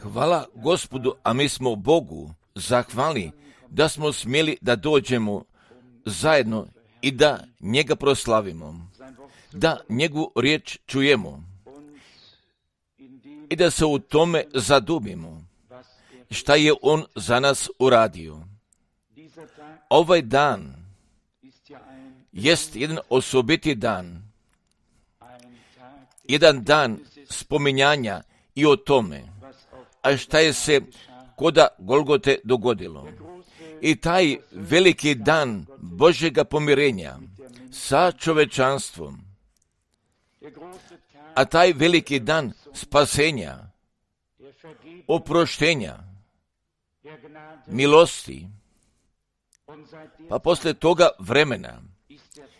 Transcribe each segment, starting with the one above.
Hvala Gospodu, a mi smo Bogu zahvalni da smo smjeli da dođemo zajedno i da njega proslavimo, da njegovu riječ čujemo i da se u tome zadubimo šta je on za nas uradio. Ovaj dan jest jedan osobiti dan, jedan dan spominjanja i o tome, a šta je se koda Golgote dogodilo. I taj veliki dan Božjega pomirenja sa čovečanstvom, a taj veliki dan spasenja, oproštenja, milosti, pa posle toga vremena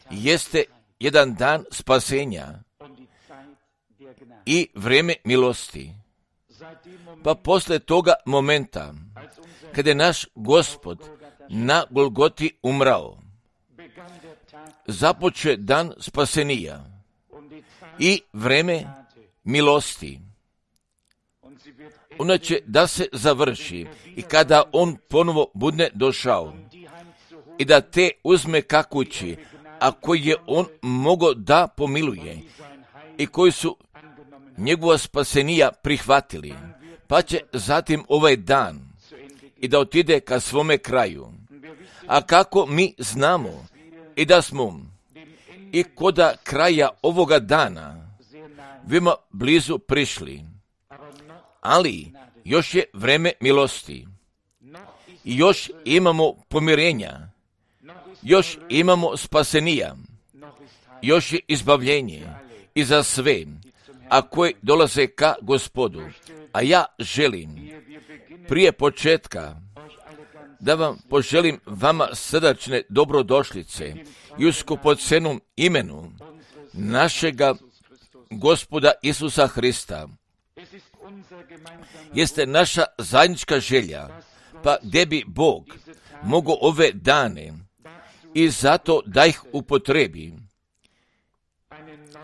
jeste jedan dan spasenja i vrijeme milosti. Pa posle toga momenta, kada je naš Gospod na Golgoti umrao, započe dan spasenija i vreme milosti. Ona će da se završi i kada on ponovo bude došao i da te uzme ka kući, a koji je on mogao da pomiluje i koji su njegova spasenija prihvatili, pa će zatim ovaj dan i da otide ka svome kraju. A kako mi znamo i da smo i koda kraja ovoga dana veoma blizu prišli, ali još je vreme milosti i još imamo pomirenja, još imamo spasenija, još je izbavljenje i za sve, a koji dolaze ka Gospodu. A ja želim prije početka da vam poželim vama srdačne dobrodošlice i u skupocenom imenu našega Gospoda Isusa Hrista. Jeste naša zajednička želja, pa gdje bi Bog mogao ove dane i zato da ih upotrebi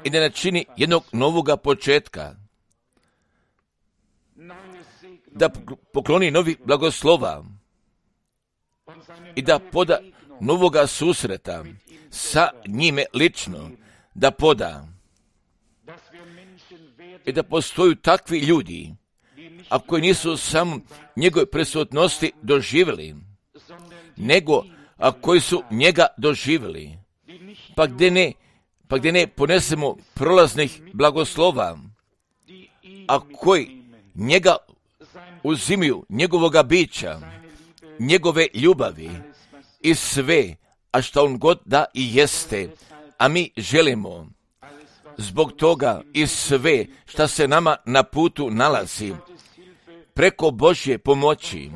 i da načini jednog novoga početka, da pokloni novi blagoslova i da poda novoga susreta sa njime lično, da poda i da postoju takvi ljudi, a koji nisu samo njegove prisutnosti doživjeli, nego a koji su njega doživjeli, pa gdje ne ponesemo prolaznih blagoslova, a koji njega uzimaju, njegovoga bića, njegove ljubavi i sve, a što on god da i jeste, a mi želimo zbog toga i sve šta se nama na putu nalazi, preko Božje pomoći,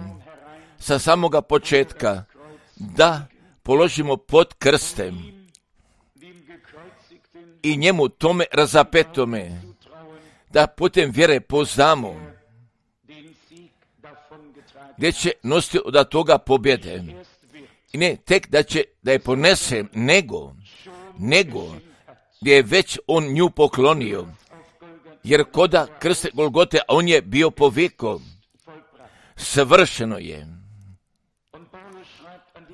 sa samoga početka, da položimo pod krstem i njemu tome razapetome, da putem vjere poznamo, gdje će nositi od toga pobjede. I ne tek da je ponese, nego gdje je već on nju poklonio, jer koda krste Golgote, a on je bio povikao, savršeno je.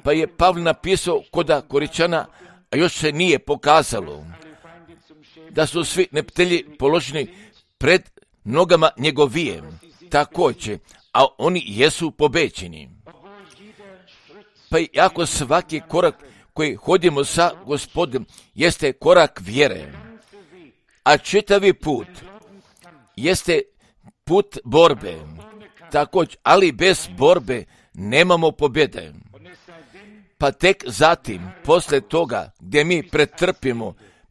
Pa je Pavle napisao koda Koričana, a još se nije pokazalo, da su svi neptelji položeni pred nogama njegovije, također, a oni jesu pobeđeni. Pa iako svaki korak koji hodimo sa Gospodom jeste korak vjere, a čitavi put jeste put borbe, također, ali bez borbe nemamo pobjede. Pa tek zatim, posle toga, gdje mi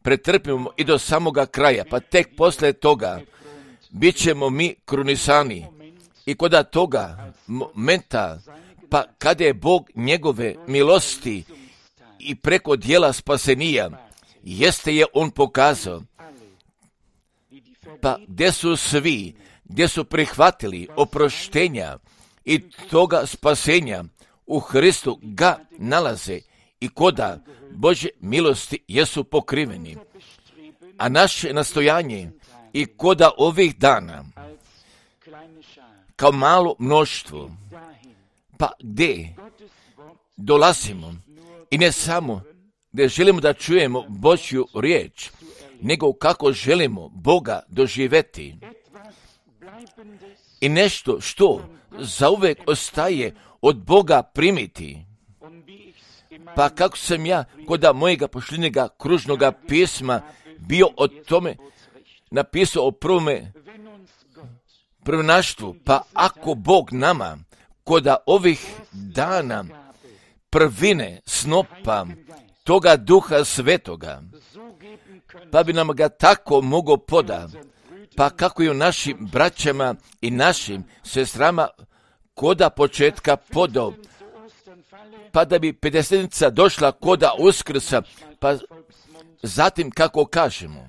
pretrpimo i do samoga kraja, pa tek posle toga bit ćemo mi krunisani. I koda toga momenta, pa kada je Bog njegove milosti i preko dijela spasenija, jeste je on pokazao, pa gdje su svi, gdje su prihvatili oproštenja i toga spasenja u Hristu ga nalaze i koda Božje milosti jesu pokriveni. A naše nastojanje i koda ovih dana kao malo mnoštvo. Pa gdje dolazimo i ne samo da želimo da čujemo Božju riječ, nego kako želimo Boga doživjeti. I nešto što zauvek ostaje od Boga primiti. Pa kako sam ja kod mojega pošljenjega kružnoga pisma bio o tome napisao o prvenaštvu, pa ako Bog nama kod ovih dana prvine snopa toga Duha Svetoga, pa bi nam ga tako mogao poda, pa kako i u našim braćama i našim sestrama koda početka podao, pa da bi pedesetnica došla koda Uskrsa, pa zatim kako kažemo,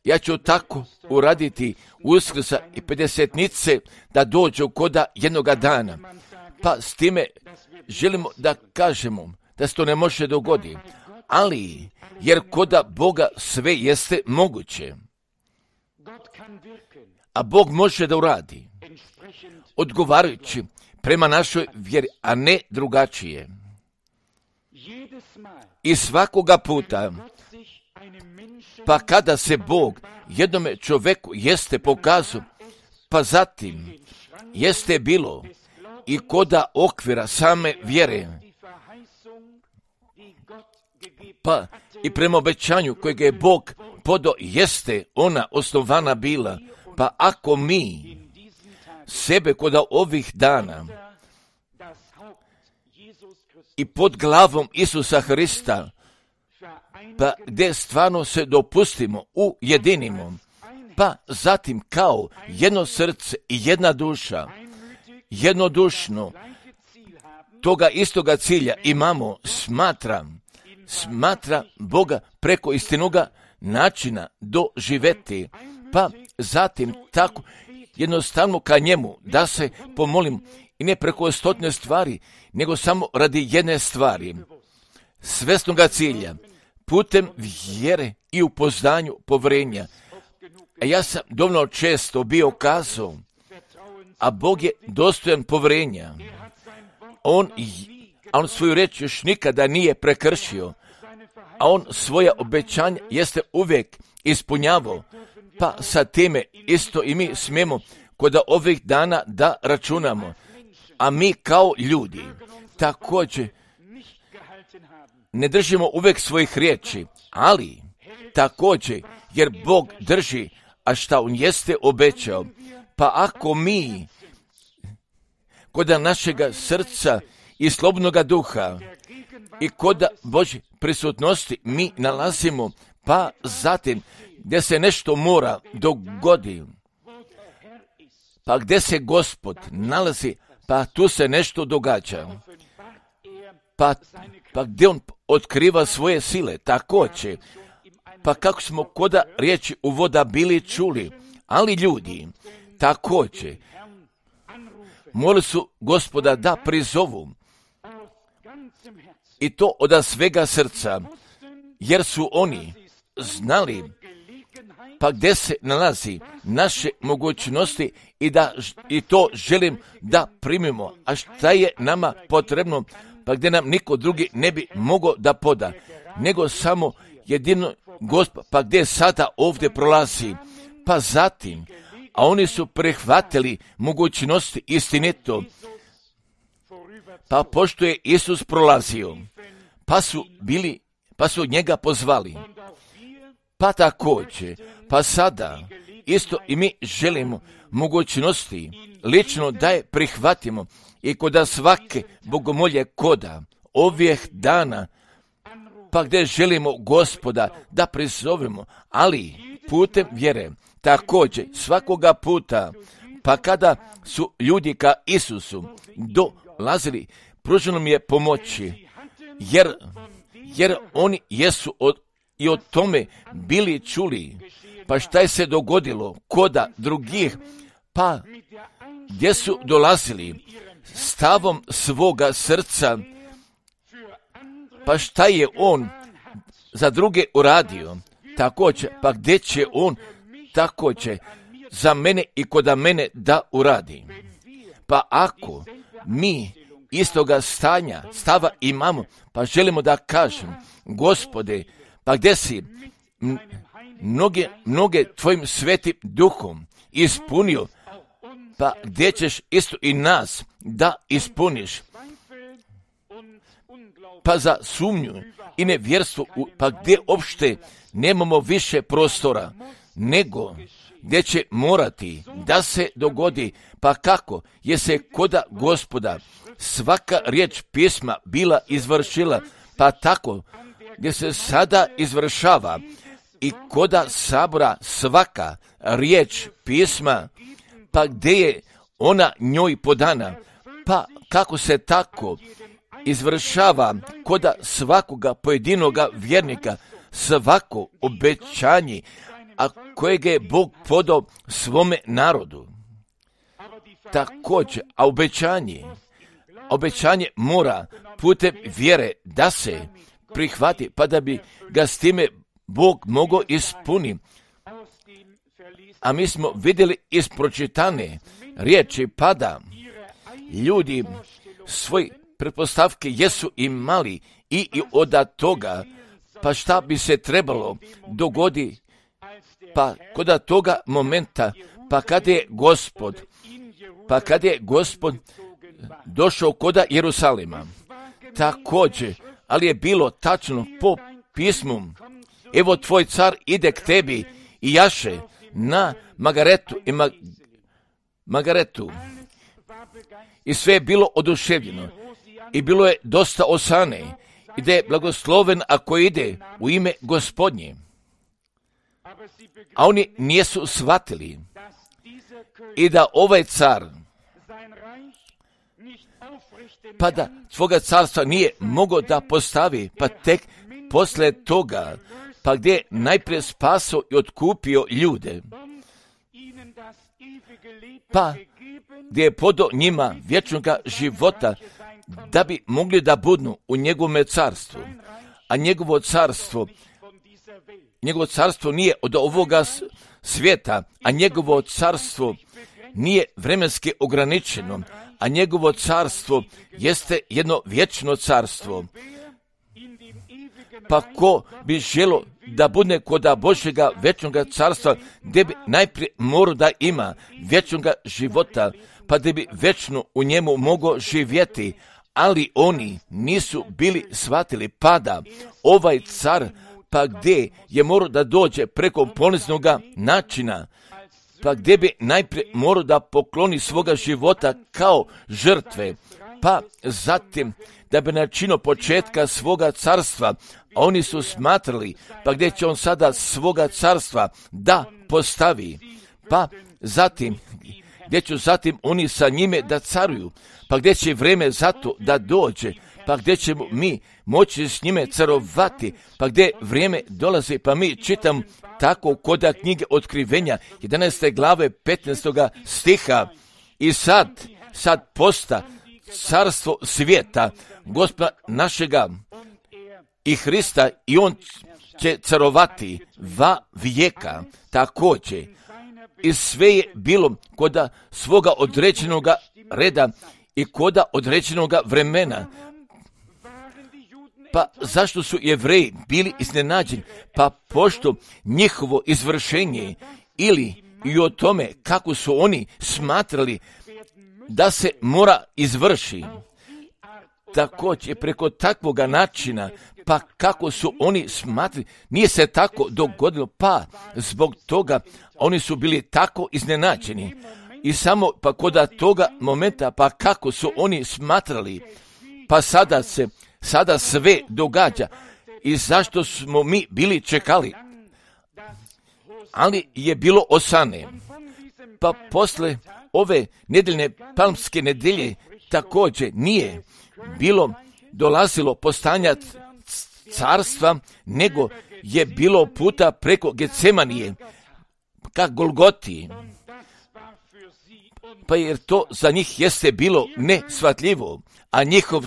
ja ću tako uraditi Uskrsa i pedesetnice da dođu koda jednoga dana. Pa s time želimo da kažemo da se to ne može dogoditi, ali jer koda Boga sve jeste moguće, a Bog može da uradi odgovarajući prema našoj vjeri, a ne drugačije. I svakoga puta, pa kada se Bog jednome čoveku jeste pokazao, pa zatim jeste bilo i koda okvira same vjere, pa i prema obećanju kojeg je Bog podao jeste ona osnovana bila, pa ako mi sebe koda ovih dana i pod glavom Isusa Hrista, pa gdje stvarno se dopustimo, ujedinimo, pa zatim kao jedno srce i jedna duša, jednodušno toga istoga cilja imamo, smatra Boga preko istinoga načina doživeti, pa zatim tako jednostavno ka njemu da se pomolim i ne preko stotne stvari, nego samo radi jedne stvari, svesnoga cilja, putem vjere i upoznanju povjerenja. A ja sam dovoljno često bio kazao, a Bog je dostojan povjerenja. On svoju reč još nikada nije prekršio, a on svoja obećanja jeste uvijek ispunjavao, pa sa time isto i mi smijemo kod ovih dana da računamo. A mi kao ljudi također ne držimo uvijek svojih riječi, ali također jer Bog drži, a šta on jeste obećao, pa ako mi kod našega srca i slobodnoga duha i kod Božje prisutnosti mi nalazimo, pa zatim gdje se nešto mora dogoditi, pa gdje se Gospod nalazi, pa tu se nešto događa, pa gdje on otkriva svoje sile, također, pa kako smo koda riječi uvoda bili čuli, ali ljudi također morali su Gospoda da prizovu, i to od svega srca, jer su oni znali pa gdje se nalazi naše mogućnosti i to želim da primimo, a šta je nama potrebno, pa gdje nam niko drugi ne bi mogao da poda, nego samo jedino Gospod, pa gdje sada ovdje prolazi, pa zatim, a oni su prihvatili mogućnosti istinito, pa pošto je Isus prolazio, pa su njega pozvali, pa također, pa sada, isto i mi želimo mogućnosti lično da je prihvatimo i kod svake bogomolje koda ovih dana, pa gdje želimo Gospoda da prizovemo, ali putem vjere, također svakoga puta, pa kada su ljudi ka Isusu dolazili, pruženo mi je pomoći, jer oni jesu i o tome bili čuli, pa šta je se dogodilo koda drugih, pa gdje su dolazili stavom svoga srca, pa šta je on za druge uradio, također, pa gdje će on također za mene i koda mene da uradi. Pa ako mi istoga stava imamo, pa želimo da kažem, Gospode, pa gdje si mnoge tvojim svetim duhom ispunio, pa gdje ćeš isto i nas da ispuniš? Pa za sumnju i nevjerstvo, pa gdje opšte nemamo više prostora, nego gdje će morati da se dogodi, pa kako je se koda Gospoda svaka riječ pisma bila izvršila, pa tako gdje se sada izvršava i koda sabora svaka riječ pisma, pa gdje je ona njoj podana, pa kako se tako izvršava koda svakoga pojedinoga vjernika svako obećanje, a kojeg je Bog podao svome narodu. Također, a obećanje mora putem vjere da se prihvati, pa da bi ga s time Bog mogao ispuniti. A mi smo vidjeli iz pročitane riječi, pa da ljudi svoj pretpostavke jesu imali i od toga, pa šta bi se trebalo dogodi, pa kod toga momenta, pa kad je Gospod došao koda Jerusalima. Također, ali je bilo tačno po pismu, evo tvoj car ide k tebi i jaše na Magaretu. I sve je bilo oduševljeno i bilo je dosta osane i da je blagosloven ako ide u ime Gospodnje. A oni nisu shvatili i da ovaj car, pa da svoga carstva nije mogao da postavi, pa tek posle toga, pa gdje je najprije spasao i otkupio ljude, pa gdje je podao njima vječnoga života, da bi mogli da budnu u njegovome carstvu. A njegovo carstvo nije od ovoga svijeta, a njegovo carstvo nije vremenski ograničeno, a njegovo carstvo jeste jedno vječno carstvo. Pa ko bi želo da bude koda Božjega vječnoga carstva, gdje bi najprije morao da ima vječnoga života, pa da bi vječno u njemu mogao živjeti, ali oni nisu bili shvatili, pa da ovaj car, pa gdje je morao da dođe preko poniznoga načina, pa gdje bi najprije morao da pokloni svoga života kao žrtve, pa zatim da bi načinio početka svoga carstva, a oni su smatrali, pa gdje će on sada svoga carstva da postavi, pa zatim gdje će zatim oni sa njime da caruju, pa gdje će vrijeme zato da dođe, pa gdje ćemo mi moći s njime carovati, pa gdje vrijeme dolazi, pa mi čitam tako koda knjige Otkrivenja 11. glave 15. stiha i sad posta carstvo svijeta Gospoda našega i Hrista i on će carovati va vijeka. Također i sve je bilo koda svoga određenoga reda i koda određenoga vremena. Pa zašto su Jevreji bili iznenađeni? Pa pošto njihovo izvršenje ili i o tome kako su oni smatrali da se mora izvrši. Također preko takvoga načina, pa kako su oni smatrali, nije se tako dogodilo, pa zbog toga oni su bili tako iznenađeni. I samo pa kod toga momenta, pa kako su oni smatrali, pa sada sve događa. I zašto smo mi bili čekali? Ali je bilo osane. Pa posle ove nedeljne palmske nedelje također nije dolazilo postanja carstva, nego je bilo puta preko Getsemanije ka Golgoti. Pa jer to za njih jeste bilo neshvatljivo, a njihov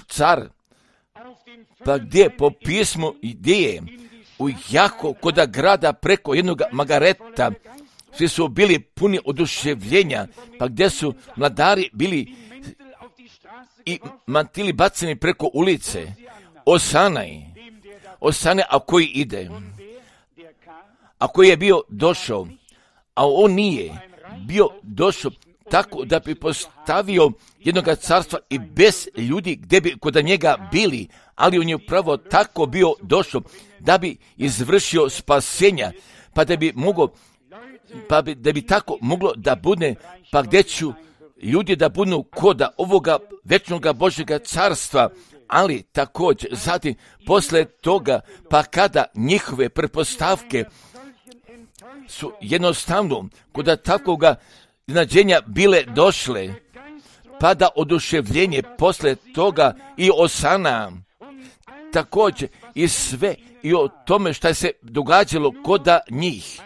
car, pa gdje po pismu gdje je u jako koda grada preko jednog Magareta svi su bili puni oduševljenja, pa gdje su mladari bili i mantili baceni preko ulice. Osana, a koji ide, a koji je bio došao, a on nije bio došao tako da bi postavio jednoga carstva i bez ljudi gdje bi kod njega bili, ali on je upravo tako bio došao da bi izvršio spasenja, da bi tako moglo da bude, pa gdje ću ljudi da budu koda ovoga večnoga Božjega carstva, ali također zatim posle toga, pa kada njihove pretpostavke su jednostavno kod takvoga iznenađenja bile došle, pada oduševljenje posle toga i osana, također i sve i o tome što se događalo kod njih.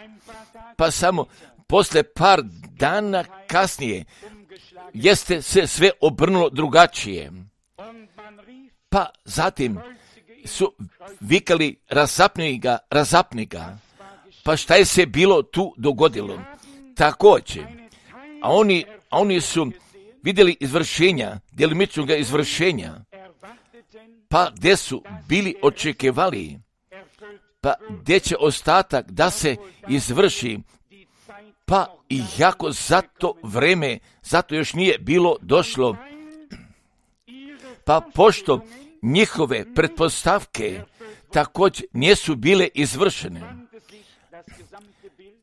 Pa samo posle par dana kasnije jeste se sve obrnulo drugačije. Pa zatim su vikali razapni ga. Pa šta je se bilo tu dogodilo? Također, a oni su vidjeli izvršenja, djelimičnog izvršenja, pa gdje su bili očekivali, pa gdje će ostatak da se izvrši, pa i jako za to vreme, zato još nije bilo došlo, pa pošto njihove pretpostavke također nisu bile izvršene,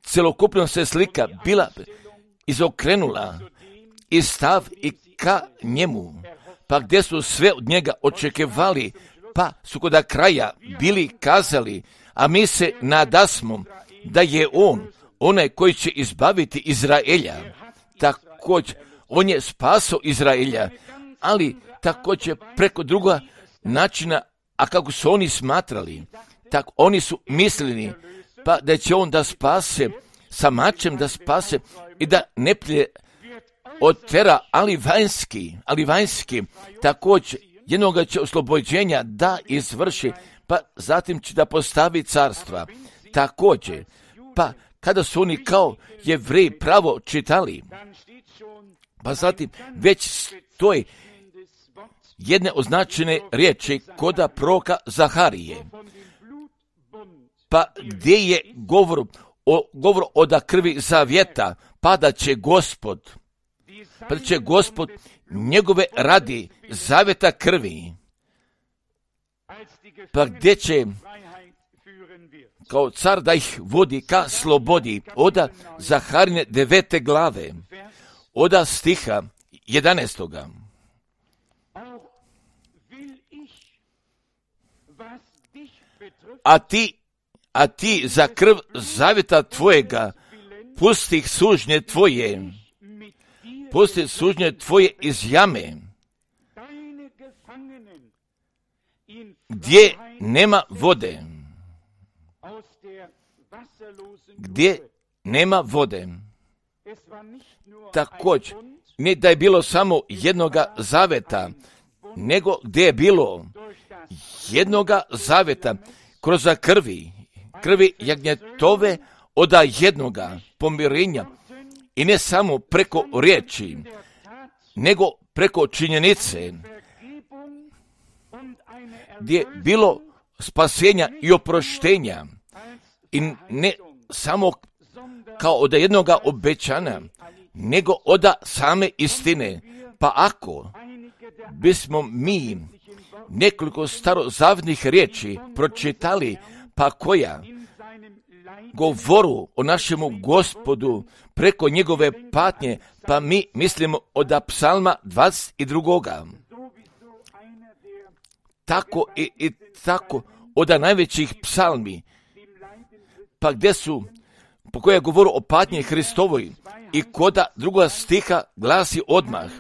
celokupno se slika bila izokrenula i stav i ka njemu, pa gdje su sve od njega očekivali, pa su kod kraja bili kazali, a mi se nadasmo da je on onaj koji će izbaviti Izraelja. Također, on je spasao Izraelja, ali također preko druga načina, a kako su oni smatrali, tako oni su mislili, pa da će on da spase, sa mačem da spase i da neprijatelje otera, ali vanjski, također jednoga će oslobođenja da izvrši, pa zatim će da postavi carstva. Također, pa kada su oni kao Jevreji pravo čitali, pa zatim već stoji jedne označene riječi koda proroka Zaharije, pa gdje je govor od krvi zavjeta, pa da će Gospod njegove radi zavjeta krvi, pa gdje će kao car da ih vodi ka slobodi, oda Zaharine 9. glave, oda stiha 11. A ti za krv zavjeta tvojega pusti sužnje tvoje iz jame, gdje nema vode. Također, ne da je bilo samo jednoga zaveta, nego gdje je bilo jednoga zaveta kroz krvi jagnjetove oda jednoga pomirenja, i ne samo preko riječi, nego preko činjenice, gdje je bilo spasenja i oproštenja, i ne samo kao od jednoga obećana, nego od same istine. Pa ako bismo mi nekoliko starozavnih riječi pročitali, pa koja govoru o našemu Gospodu preko njegove patnje, pa mi mislimo od psalma 22. Tako i tako od najvećih psalmi, pa gdje su, po koje govoru o patnji Hristovoj, i koda druga stiha glasi odmah: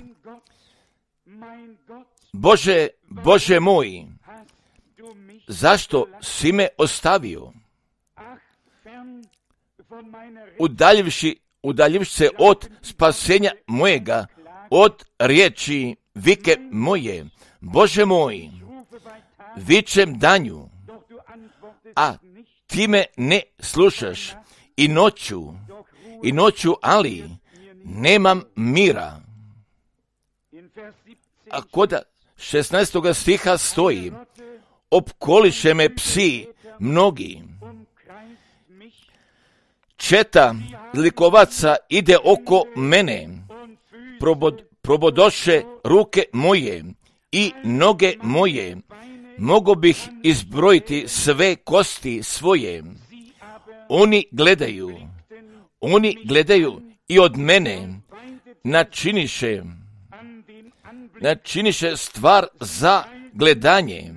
Bože moj, zašto si me ostavio? Udaljivši se od spasenja mojega, od riječi vike moje, Bože moj, vičem danju, a ti me ne slušaš, i noću, i noću, ali nemam mira. A kod 16. stiha stoji, opkoliše me psi mnogi. Četa likovaca ide oko mene, probodoše ruke moje i noge moje, mogo bih izbrojiti sve kosti svoje. Oni gledaju i od mene načiniše stvar za gledanje,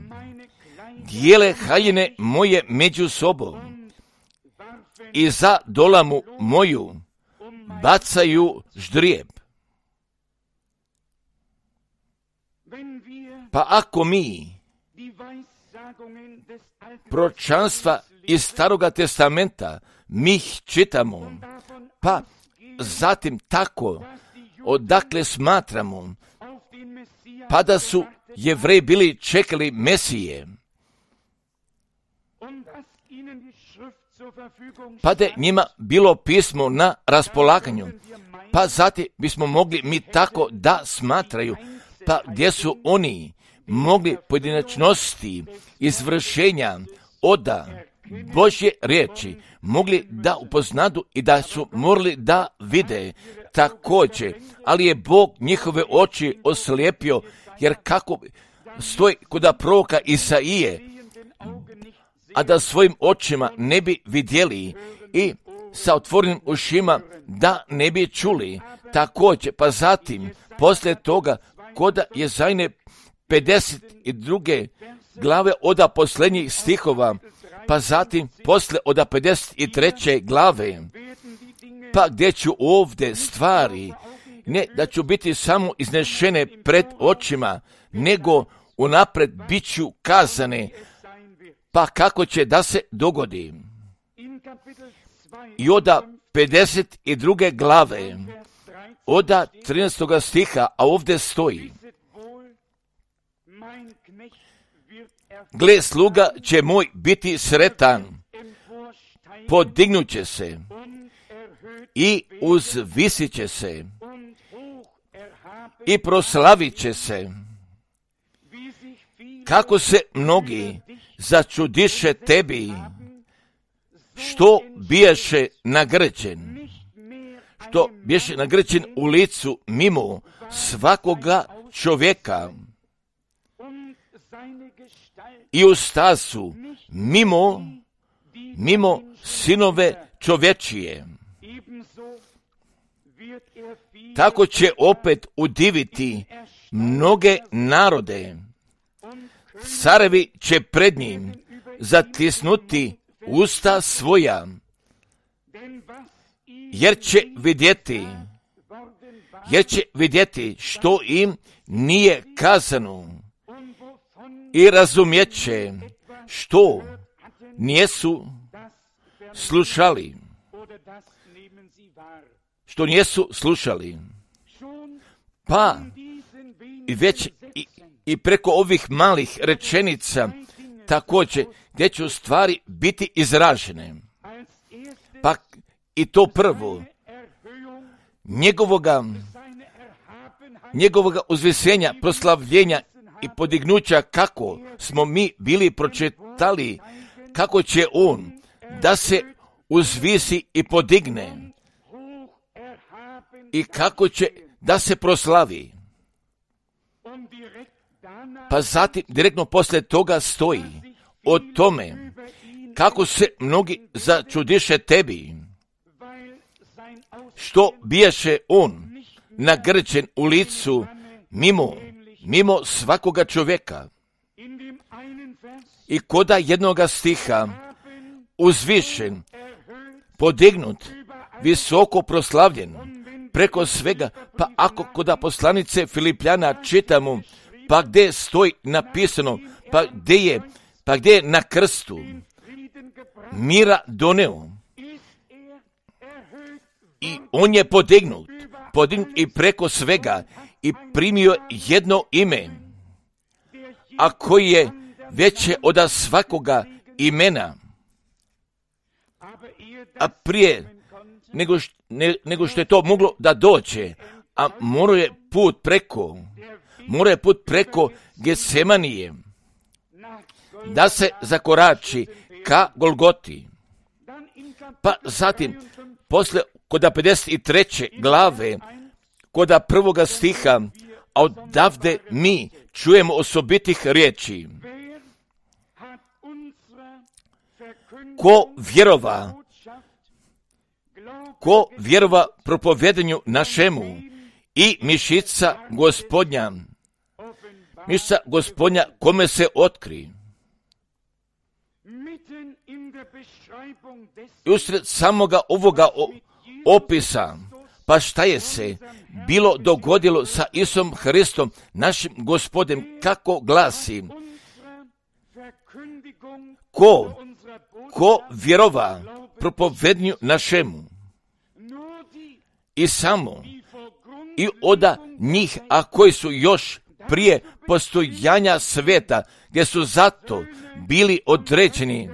dijele haljine moje među sobom i za dolamu moju bacaju ždrijeb. Pa ako mi proročanstva iz Staroga testamenta mi ih čitamo, pa zatim tako odakle smatramo, pa da su Jevreji bili čekali Mesije, pa da je njima bilo pismo na raspolaganju, pa zatim bismo mogli mi tako da smatraju, pa gdje su oni mogli pojedinačnosti izvršenja oda Božje riječi mogli da upoznadu i da su morali da vide također, ali je Bog njihove oči oslijepio, jer kako stoji kod proroka Isaije, a da svojim očima ne bi vidjeli i sa otvorenim ušima da ne bi čuli također, pa zatim poslije toga kod Jezajne 52. glave od posljednjih stihova, pa zatim poslije od 53. glave, pa gdje ću ovdje stvari, ne da ću biti samo iznešene pred očima, nego unapred bit ću kazane, pa kako će da se dogodi. I od 52. glave, od 13. stiha, a ovdje stoji, gle, sluga će moj biti sretan, podignut će se i uzvisit će se i proslavit će se. Kako se mnogi začudiše tebi, što biješe nagrđen u licu mimo svakoga čovjeka i u stasu mimo sinove čovječije. Tako će opet udiviti mnoge narode. Carevi će pred njim zatisnuti usta svoja, jer će vidjeti što im nije kazano i razumjeće što nijesu slušali. Pa već i preko ovih malih rečenica također gdje će u stvari biti izražene. Pa i to prvo, njegovoga uzvisenja, proslavljenja i podignuća, kako smo mi bili pročitali, kako će on da se uzvisi i podigne i kako će da se proslavi. Pa zatim direktno poslije toga stoji o tome kako se mnogi začudiše tebi, što biješe on nagrđen u licu mimo svakoga čovjeka. I koda jednoga stiha uzvišen, podignut, visoko proslavljen, preko svega, pa ako koda poslanice Filipljana čitamo, pa gdje stoji napisano, pa gdje je na krstu mira doneo. I on je podignut i preko svega i primio jedno ime, a koji je veće od svakoga imena. A prije nego što je to moglo da dođe, a morao je put preko Getsemanije, da se zakorači ka Golgoti. Pa zatim, posle kod 53. glave, kod 1. stiha, a odavde mi čujemo osobitih riječi. Ko vjerova propovedanju našemu i mišica Gospodnja kome se otkri. I usred samoga ovoga opisa, pa šta je se bilo dogodilo sa Isusom Hristom, našim Gospodem, kako glasi, ko vjerova propovednju našemu i samo i oda njih, a koji su još prije postojanja sveta, gdje su zato bili određeni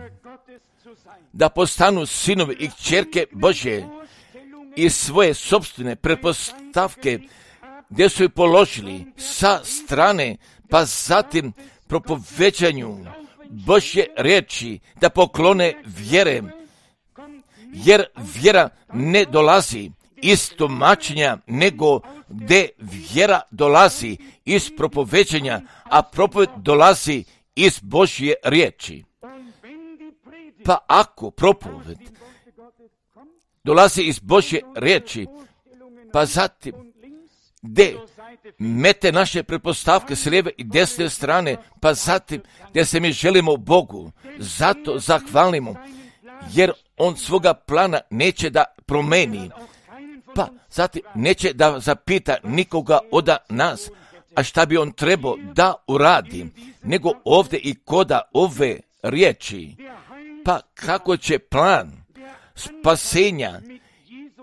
da postanu sinovi i kćerke Božje i svoje sopstvene pretpostavke gdje su ih položili sa strane, pa zatim propoveđanju Božje riječi da poklone vjere, jer vjera ne dolazi iz tumačenja, nego gdje vjera dolazi iz propoveđenja, a propoved dolazi iz Božje riječi. Pa ako propoved dolazi iz Božje riječi, pa zatim gdje mete naše pretpostavke s lijeve i desne strane, pa zatim gdje se mi želimo Bogu, zato zahvalimo, jer on svoga plana neće da promeni, pa zatim neće da zapita nikoga od nas, a šta bi on trebao da uradi, nego ovdje i koda ove riječi, pa kako će plan spasenja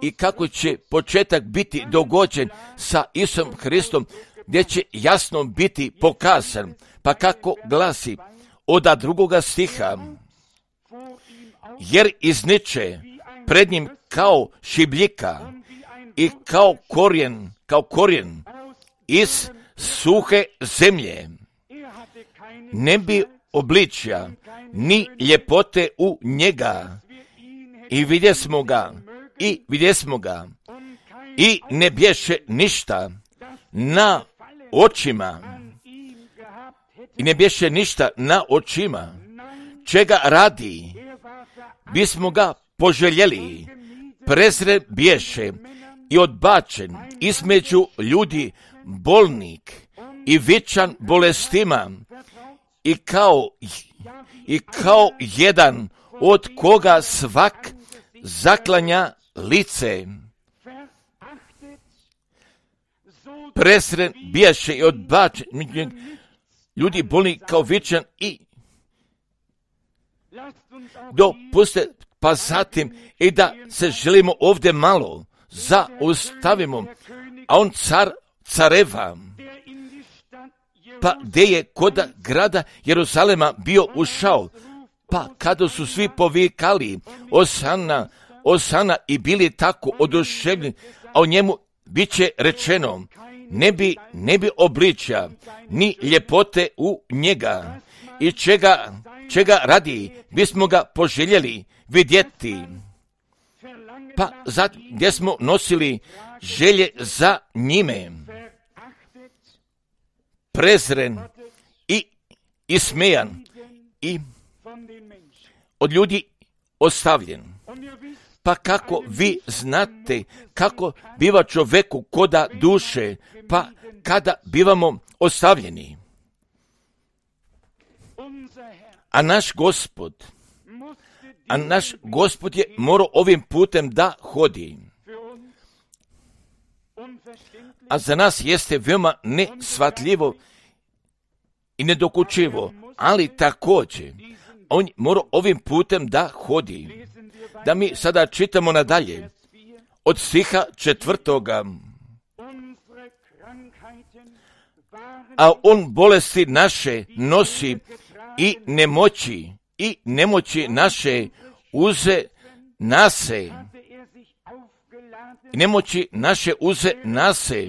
i kako će početak biti dogođen sa Isusom Hristom, gdje će jasno biti pokazan, pa kako glasi od 2. stiha, jer izniče pred njim kao šibljika i kao korijen iz suhe zemlje, ne bi obličja ni ljepote u njega, i vidjesmo ga i ne bješe ništa na očima, čega radi bismo ga poželjeli, prezren bješe i odbačen između ljudi, bolnik i vičan bolestima, i kao jedan od koga svak zaklanja lice. Prezren bijaše i odbačen ljudi, bolni kao vičan, i dopuste, pa zatim i da se želimo ovdje malo zaustavimo, a on careva, pa gdje je kod grada Jeruzalema bio ušao, pa kada su svi povikali Osana i bili tako oduševljeni, a o njemu bit će rečeno, ne bi obličja ni ljepote u njega, i čega radi bismo ga poželjeli vidjeti. Pa zatim gdje smo nosili želje za njime, prezren i ismejan i od ljudi ostavljen. Pa kako vi znate kako biva čoveku koda duše, pa kada bivamo ostavljeni. A naš Gospod je morao ovim putem da hodi. A za nas jeste veoma nesvatljivo i nedokučivo, ali također on mora ovim putem da hodi. Da mi sada čitamo nadalje od stiha 4. A on bolesti naše nosi i nemoći naše uze nase. nemoći naše uze nase,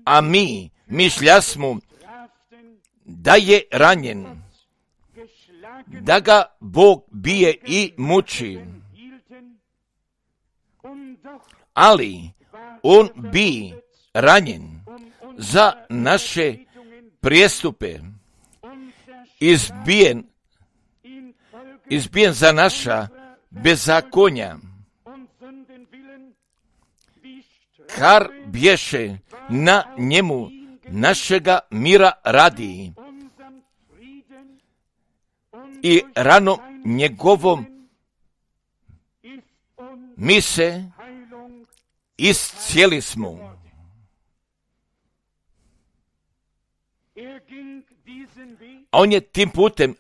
a mi mišljasmo da je ranjen, da ga Bog bije i muči. Ali on bi ranjen za naše prijestupe, izbijen za naša bezakonja. Kar bješe na njemu našega mira radi i ranom njegovom mi se iscijeli smo. On je tim putem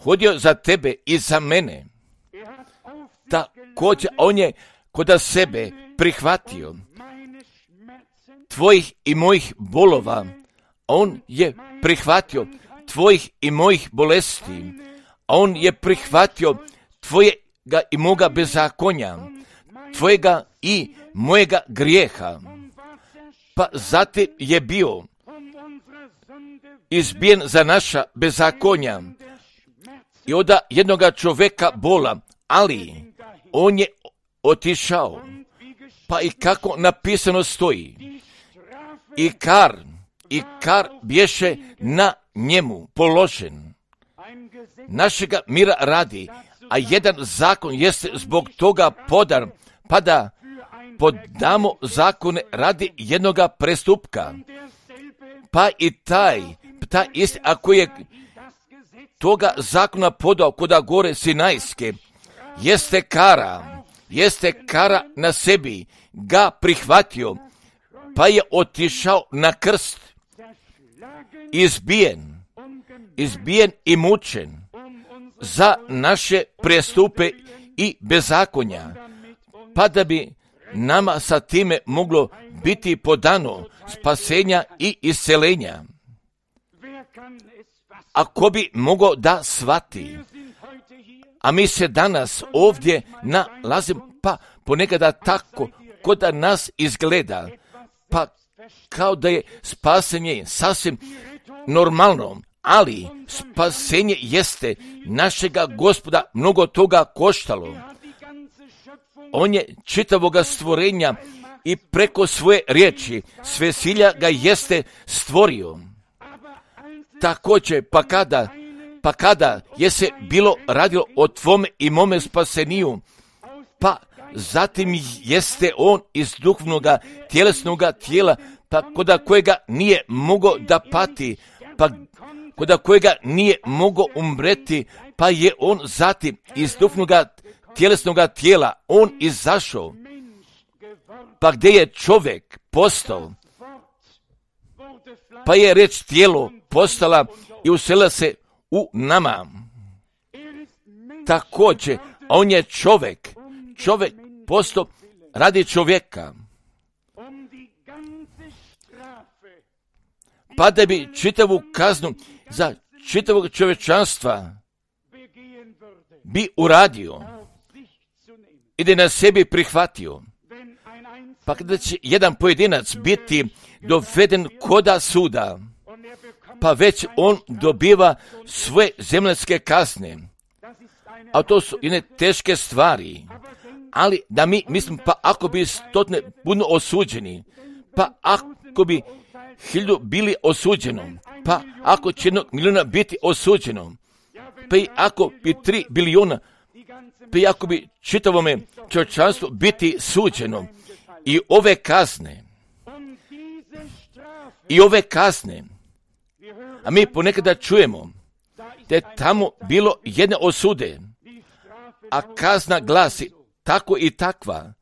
hodio za tebe i za mene. Također on je kod sebe prihvatio tvojih i mojih bolova. On je prihvatio tvojih i mojih bolesti. On je prihvatio tvojega i moga bezakonja, tvojega i mojega grijeha. Pa zatim je bio izbijen za naša bezakonja i od jednoga čovjeka bola, ali on je otišao. Pa i kako napisano stoji, i kar bješe na njemu položen našega mira radi, a jedan zakon jeste zbog toga podan, pa da podamo zakone radi jednoga prestupka. Pa i taj isti, ako je toga zakona podao kod gore Sinajske, jeste kara na sebi ga prihvatio, pa je otišao na krst, izbijen i mučen za naše prestupe i bezakonja, pa da bi nama sa time moglo biti podano spasenja i iscelenja. Ako bi mogao da shvati, a mi se danas ovdje nalazimo, pa ponekada tako kod da nas izgleda, pa kao da je spasenje sasvim normalno, ali spasenje jeste našega Gospoda mnogo toga koštalo. On je čitavoga stvorenja i preko svoje riječi svesilja ga jeste stvorio. Također, pa kada je se bilo radilo o tvome i mome spaseniju, pa zatim jeste on iz duhovnoga tjelesnoga tijela, pa kod kojega nije mogao da pati, pa kod kojega nije mogao umreti, pa je on zatim iz duhovnoga tjelesnoga tijela on izašao. Pa gdje je čovjek postao, pa je reč tijelo postala i uselila se u nama. Također, on je čovjek postao radi čovjeka, pa da bi čitavu kaznu za čitavog čovječanstva bi uradio i da na sebi prihvatio. Pa kada će jedan pojedinac biti doveden koda suda, pa već on dobiva svoje zemaljske kazne, a to su jedne teške stvari, ali da mi mislim, pa ako bi 100 puno osuđeni, pa ako bi 1000 bili osuđeno, pa ako će 1 milijuna biti osuđeno, pa i ako bi 3 biliona, pa i ako bi čitavome čovječanstvu biti suđeno, i ove kazne, a mi ponekada čujemo da je tamo bilo jedne osude, a kazna glasi tako i takva,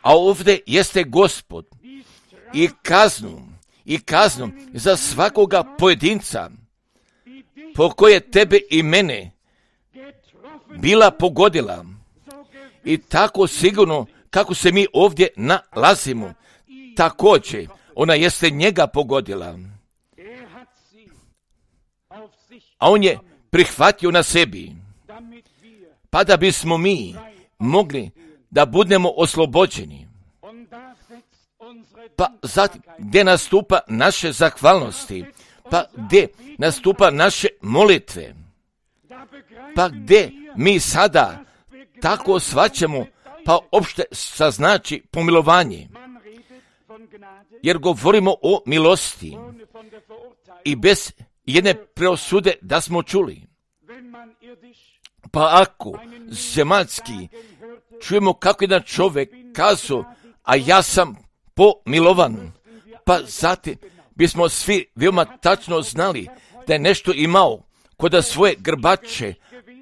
a ovdje jeste Gospod i kaznu za svakoga pojedinca po koje tebe i mene bila pogodila, i tako sigurno kako se mi ovdje nalazimo, također ona jeste njega pogodila, a on je prihvatio na sebi, pa da bismo mi mogli da budemo oslobođeni. Pa zatim, gdje nastupa naše zahvalnosti, pa gdje nastupa naše molitve, pa gdje mi sada tako shvaćamo, pa opšte saznači pomilovanje. Jer govorimo o milosti i bez jedne preosude da smo čuli. Pa ako zemaljski čujemo kako jedan čovjek kazao, a ja sam pomilovan, pa zatim bismo svi veoma tačno znali da je nešto imao koda svoje grbače,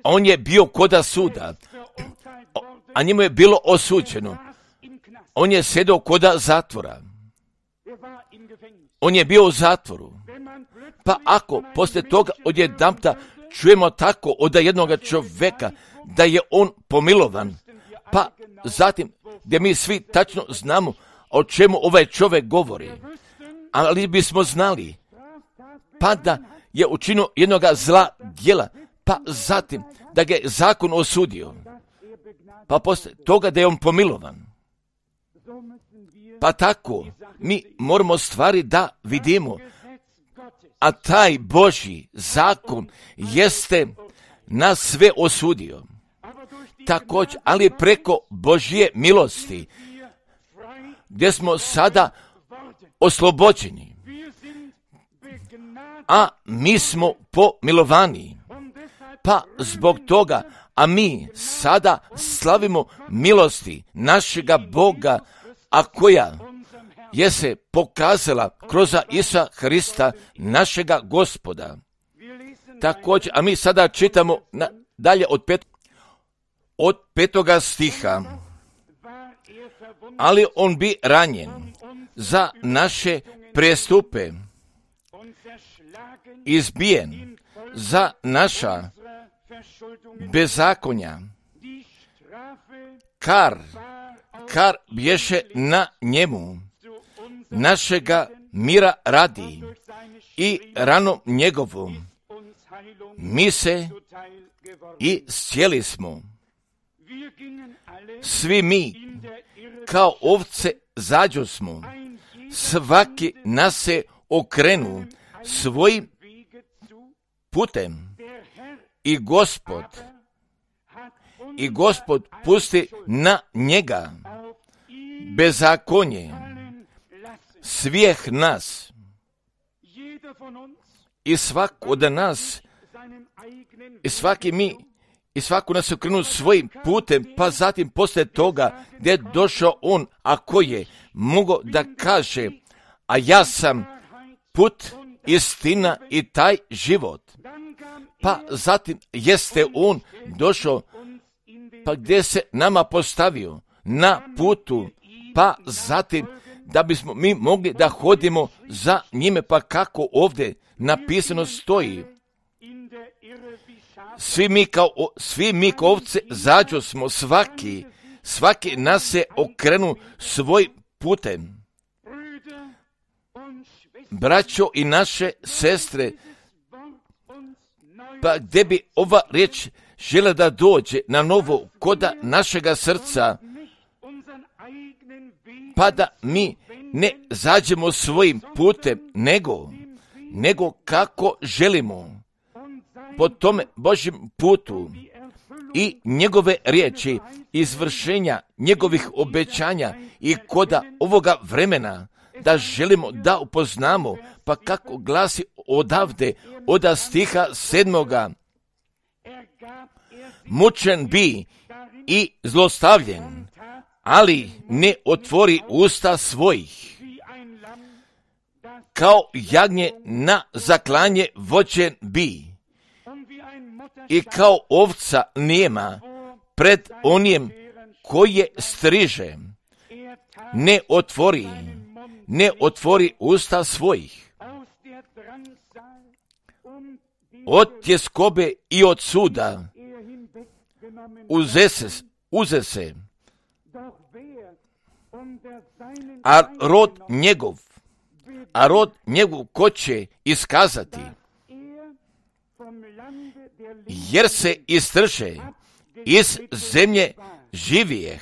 a on je bio koda suda, a njemu je bilo osuđeno. On je sjedao koda zatvora. On je bio u zatvoru. Pa ako poslije toga odjedanputa čujemo tako od jednoga čovjeka da je on pomilovan, pa zatim gdje mi svi tačno znamo o čemu ovaj čovjek govori, ali bismo znali pa da je učinio jednoga zla djela, pa zatim da ga je zakon osudio, pa poslije toga da je on pomilovan. Pa tako mi moramo stvari da vidimo, a taj Božji zakon jeste nas sve osudio. Također, ali preko Božje milosti, gdje smo sada oslobođeni, a mi smo pomilovani. Pa zbog toga, a mi sada slavimo milosti našega Boga, a koja je se pokazala kroz Isusa Hrista, našega Gospoda. Također, a mi sada čitamo dalje od 5. stiha. Ali on bi ranjen za naše prestupe, izbijen za naša bezakonja, kar bješe na njemu, našega mira radi, i ranom njegovom mi se i sjeli smo. Svi mi kao ovce zađo smo, svaki nas se okrenu svojim putem, i Gospod pusti na njega bezakonje svih nas, i svak od nas, i svako nas okrenu svojim putem, pa zatim poslije toga gdje je došao on, a ko je mogao da kaže, a ja sam put, istina i taj život. Pa zatim jeste on došao, pa gdje se nama postavio na putu, pa zatim da bismo mi mogli da hodimo za njime, pa kako ovdje napisano stoji. Svi mi kao ovce zađo smo, svaki nas se okrenu svojim putem. Braćo i naše sestre, pa gdje bi ova riječ žele da dođe na novo koda našega srca, pa da mi ne zađemo svojim putem, nego kako želimo po tome Božjem putu i njegove riječi, izvršenja njegovih obećanja i koda ovoga vremena, da želimo da upoznamo, pa kako glasi odavde, od stiha 7. Mučen bi i zlostavljen, ali ne otvori usta svojih. Kao jagnje na zaklanje vođen bi, i kao ovca nijema pred onim koje striže, ne otvori usta svojih. Od tjeskobe i od suda uze se, a rod njegov ko će iskazati, jer se istrše iz zemlje živijeh.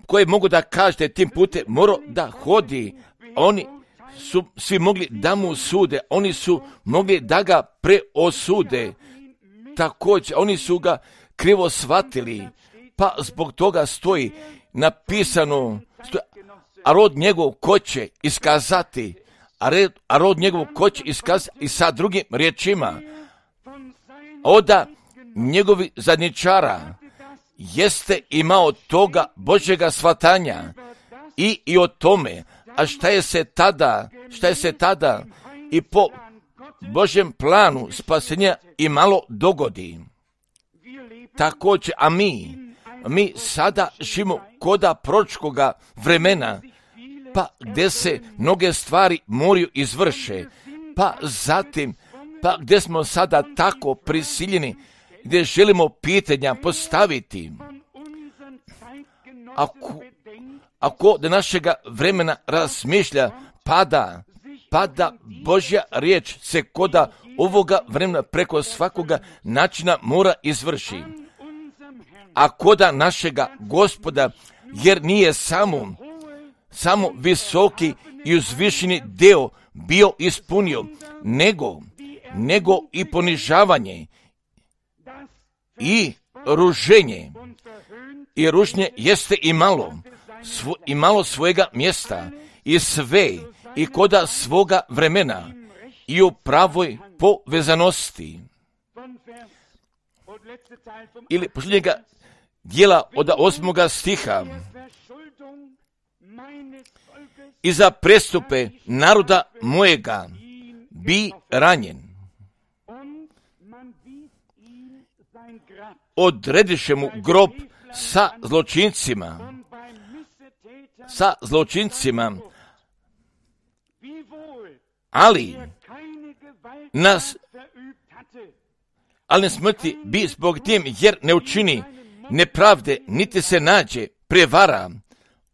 koje mogu da kažete tim putem morao da hodi. Oni su svi mogli da mu sude, oni su mogli da ga preosude. Također, oni su ga krivo shvatili, pa zbog toga stoji napisano, a rod njegov ko će iskazati, a rod njegov ko će iskazati i sa drugim riječima, oda njegovi zadnjičara jeste imao toga Božjega shvatanja i o tome, a šta je se tada i po Božjem planu spasenja i malo dogodi. Također, a mi sada živimo koda proročkoga vremena, pa gdje se mnoge stvari moraju izvrše, pa zatim, pa gdje smo sada tako prisiljeni, gdje želimo pitanja postaviti. Ako do našega vremena razmišlja, pada Božja riječ se koda ovoga vremena preko svakoga načina mora izvrši. A koda našega Gospoda, jer nije samo visoki i uzvišeni deo bio ispunio, nego i ponižavanje i ruženje. I ružnje jeste imalo svojega mjesta i sve i koda svoga vremena i u pravoj povezanosti. Ili posljednjega dijela od 8. stiha. I za prestupe naroda mojega bi ranjen. Odrediše mu grob sa zločincima, ali ne smrti bi zbog tim, jer ne učini nepravde, niti se nađe prevara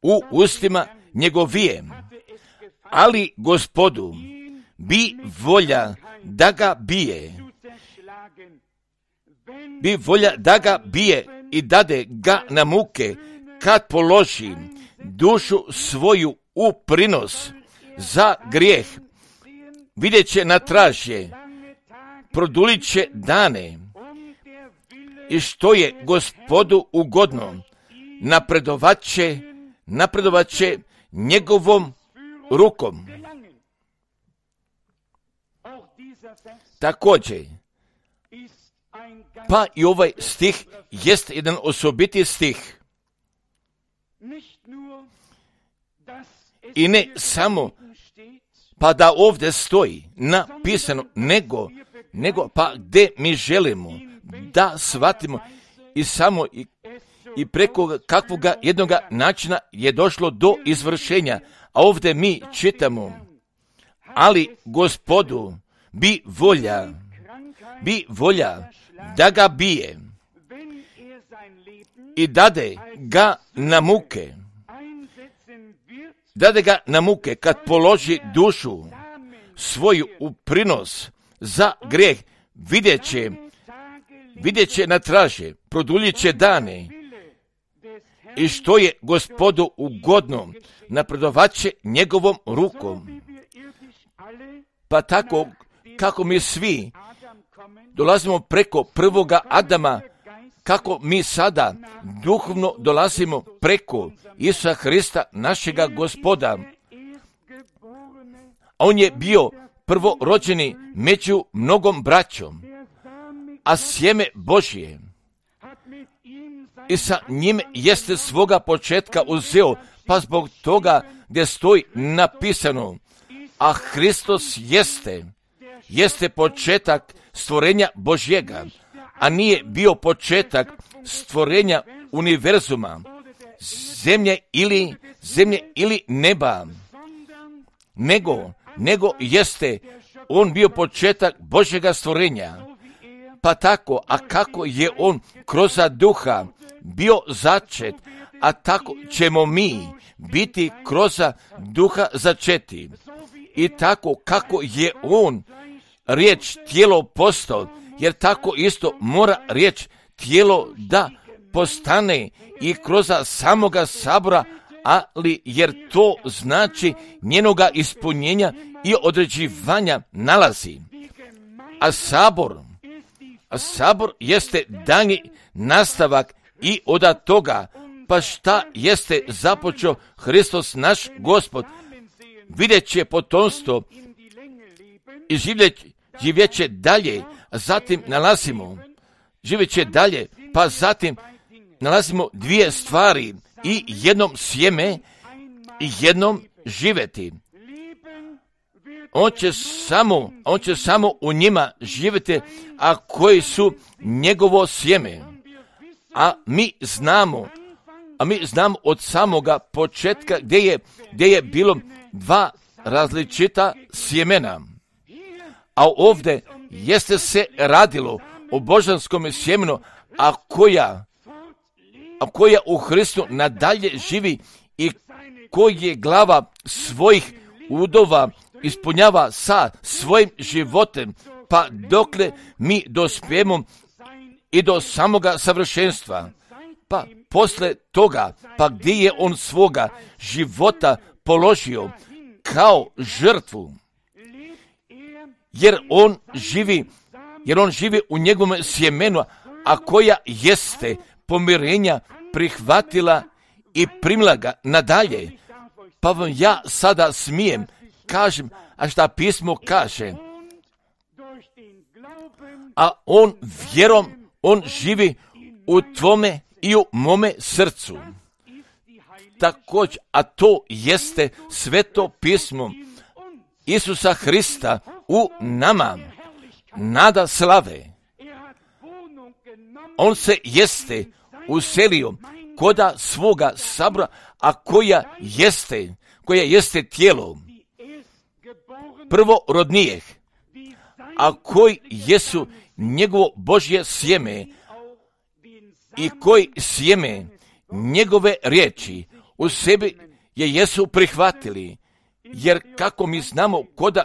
u ustima njegovije. Ali Gospodu bi volja da ga bije i dade ga na muke, kad položi dušu svoju u prinos za grijeh. Vidjet će na tražje, produlit će dane, i što je Gospodu ugodno, napredovat će njegovom rukom. Također, pa i ovaj stih jest jedan osobiti stih. I ne samo pa da ovdje stoji napisano, nego pa gdje mi želimo da shvatimo i samo i preko kakvoga jednoga načina je došlo do izvršenja. A ovdje mi čitamo, ali Gospodu bi volja da ga bije i dade ga na muke, kad položi dušu svoju u prinos za grijeh. Vidjet će na traže, produljit će dane, i što je Gospodu ugodno, napredovat će njegovom rukom. Pa tako kako mi svi dolazimo preko prvoga Adama, kako mi sada duhovno dolazimo preko Isusa Hrista, našega Gospoda. On je bio prvorođeni među mnogom braćom, a sjeme Božje, i sa njim jeste svoga početka uzeo, pa zbog toga gdje stoji napisano, a Hristos jeste početak stvorenja Božjega, a nije bio početak stvorenja univerzuma, zemlje ili neba, nego jeste on bio početak Božjega stvorenja. Pa tako, a kako je on kroz duha bio začet, a tako ćemo mi biti kroz duha začeti. I tako kako je on riječ tijelo postao, jer tako isto mora riječ tijelo da postane i kroz samoga sabora, ali jer to znači njenoga ispunjenja i određivanja nalazi. A sabor jeste danji nastavak i od toga, pa šta jeste započeo Hristos naš Gospod, vidjet će potomstvo i živjet će dalje, a zatim živjet će dalje, pa zatim nalazimo dvije stvari, i jednom sjeme i jednom živjeti. On će samo u njima živjeti, a koji su njegovo sjeme. A mi znamo od samoga početka gdje je bilo dva različita sjemena. A ovdje jeste se radilo o božanskom sjemenu, a koja u Hristu nadalje živi i koji je glava svojih udova ispunjava sa svojim životem, pa dokle mi dospijemo i do samoga savršenstva. Pa posle toga, pa gdje je on svoga života položio kao žrtvu, jer on živi u njegovom sjemenu, a koja jeste pomirenja prihvatila i primila ga nadalje. Pa vam ja sada smijem kažem, a šta pismo kaže, a on vjerom, on živi u tvome i u mome srcu. Također, a to jeste sveto pismo Isusa Hrista u nama, nada slave. On se jeste uselio koda svoga sabora, a koja jeste tijelo prvorodnijeh, a koji jesu njegovo Božje sjeme i koji sjeme njegove riječi u sebi jesu prihvatili, jer kako mi znamo koda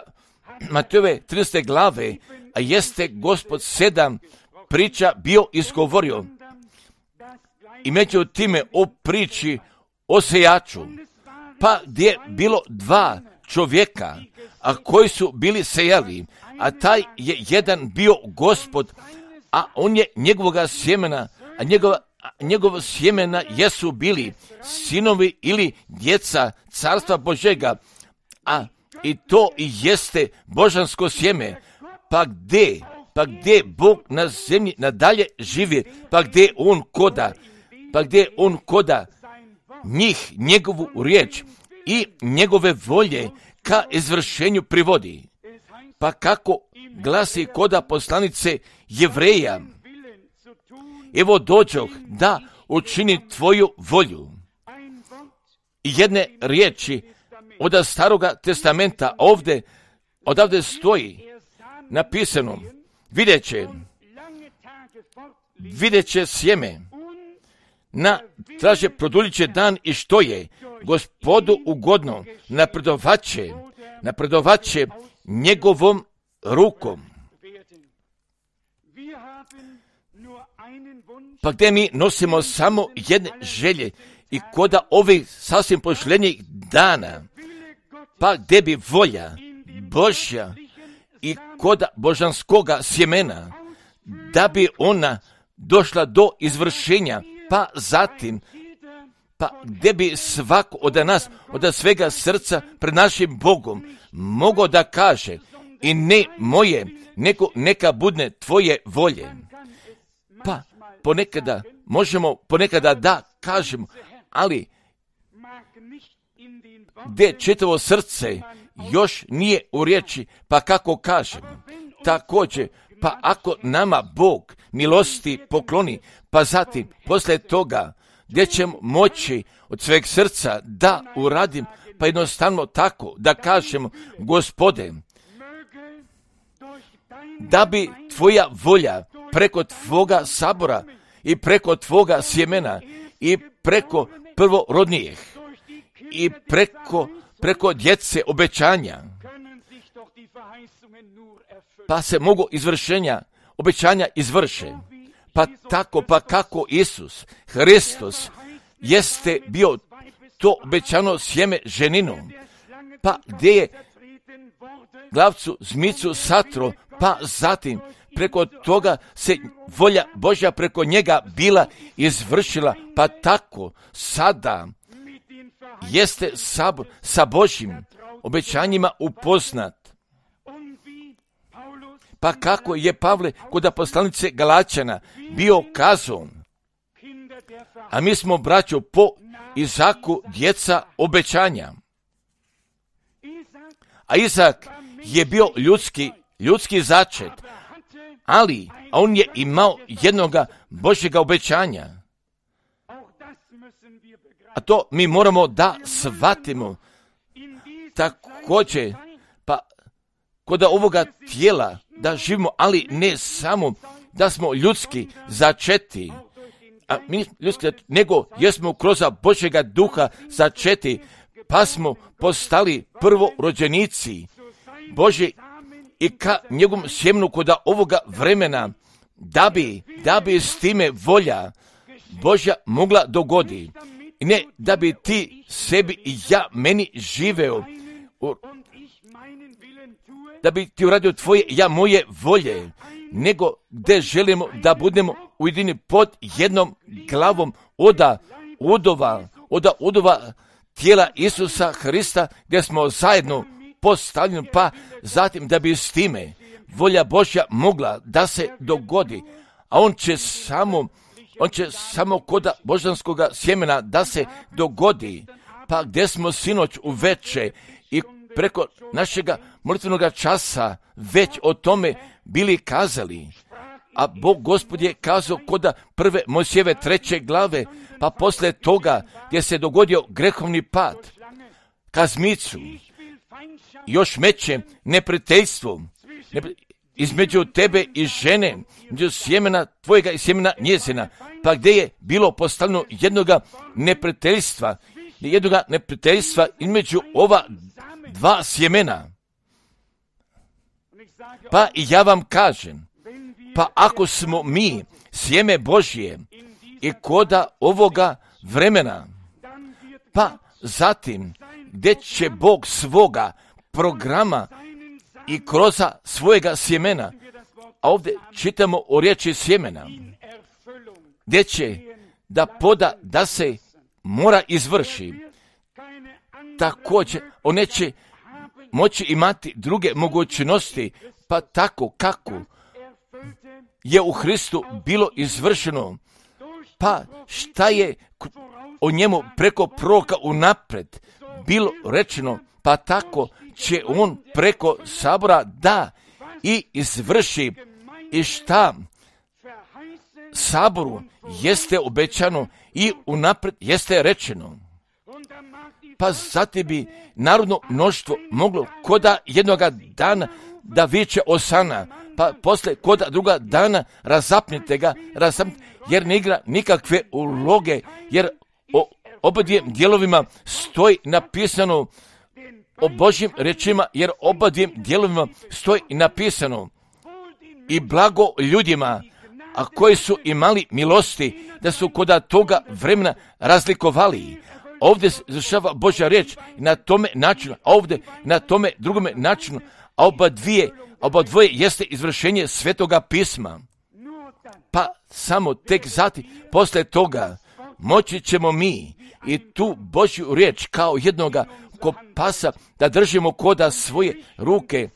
Matejove 13. glave, a jeste Gospod 7 priča bio izgovorio, i među time o priči o sejaču, pa gdje je bilo dva čovjeka, a koji su bili sejali, a taj je jedan bio Gospod, a on je njegovoga sjemena, a njegova sjemena jesu bili sinovi ili djeca carstva Božega, a i to i jeste božansko sjeme. Pa gdje Bog na zemlji nadalje živi, pa gdje on koda njih, njegovu riječ i njegove volje ka izvršenju privodi. Pa kako glasi koda poslanice Jevreja, evo dođoh da učini tvoju volju. I jedne riječi od staroga testamenta odavde stoji napisano, vidjet će sjeme, traže produljit će dan i što je Gospodu ugodno, napredovat će njegovom rukom. Pa gdje mi nosimo samo jedne želje i koda ovih sasvim pošljenjih dana, pa gdje bi volja Božja i koda božanskoga sjemena, da bi ona došla do izvršenja, pa zatim, pa gdje bi svako od nas, od svega srca pred našim Bogom mogao da kaže, i ne moje, nego neka budne tvoje volje. Pa možemo ponekada da kažemo, ali gdje čitavo srce još nije u riječi, pa kako kažemo, također, pa ako nama Bog milosti pokloni, pa zatim, poslije toga, gdje ćemo moći od sveg srca da uradim, pa jednostavno tako da kažemo, Gospode, da bi tvoja volja preko tvoga sabora i preko tvoga sjemena i preko prvorodnijih i preko djece obećanja, pa se mogu izvršenja, obećanja izvrše. Pa tako, pa kako Isus Hristos jeste bio to obećano sjeme ženinu, pa gdje je glavcu zmicu satro, pa zatim preko toga se volja Božja preko njega bila izvršila, pa tako sada jeste sabor sa Božjim obećanjima upoznat. Pa kako je Pavle kod poslanice Galačana bio kazao, a mi smo, braćo, po Izaku djeca obećanja. A Izak je bio ljudski začet, ali on je imao jednoga Božjega obećanja. A to mi moramo da shvatimo. Također, pa kod ovoga tijela da živimo, ali ne samo da smo ljudski začeti, a mi ljudski, nego jesmo kroz Božjega duha začeti, pa smo postali prvorođenici Božji i ka njegovom sjemenu kod ovoga vremena, da bi s time volja Božja mogla dogodi. I ne da bi ti sebi i ja meni živeo, da bi ti uradio tvoje, ja moje volje, nego gdje želimo da budemo ujedini pod jednom glavom od udova tijela Isusa Hrista, gdje smo zajedno postavljeni, pa zatim da bi s time volja Božja mogla da se dogodi, a on će samo kod božanskog sjemena da se dogodi, pa gdje smo sinoć uveče i preko našega molitvenog časa već o tome bili kazali, a Bog Gospod je kazao kod prve Mojsijeve 3. glave, pa posle toga gdje se dogodio grehovni pad, kazmicu, još meće neprijateljstvo između tebe i žene, između sjemena tvojega i sjemena njezina, pa gdje je bilo postavljeno jednoga neprijateljstva između ova dva sjemena. Pa i ja vam kažem, pa ako smo mi sjeme Božje i koda ovoga vremena, pa zatim gdje će Bog svoga programa i kroz svojega sjemena, a ovdje čitamo o riječi sjemena, gdje će da se mora izvrši. Također, on neće moći imati druge mogućnosti, pa tako kako je u Hristu bilo izvršeno, pa šta je o njemu preko proroka unaprijed bilo rečeno, pa tako će on preko sabora da i izvrši i šta saboru jeste obećano i unaprijed jeste rečeno. Pa zatim bi narodno mnoštvo moglo koda jednoga dana da viče osana, pa posle koda druga dana razapnite ga, jer ne igra nikakve uloge, jer o obadvijim dijelovima stoji napisano o Božjim rečima, jer obadvijim dijelovima stoji napisano i blago ljudima, a koji su imali milosti, da su koda toga vremena razlikovali. Ovdje se izvršava Božja riječ na tome načinu, a ovdje na tome drugome načinu, a oba dvoje jeste izvršenje Svetoga pisma. Pa samo tek zatim, posle toga, moći ćemo mi i tu Božju riječ kao jednoga kompasa da držimo koda svoje ruke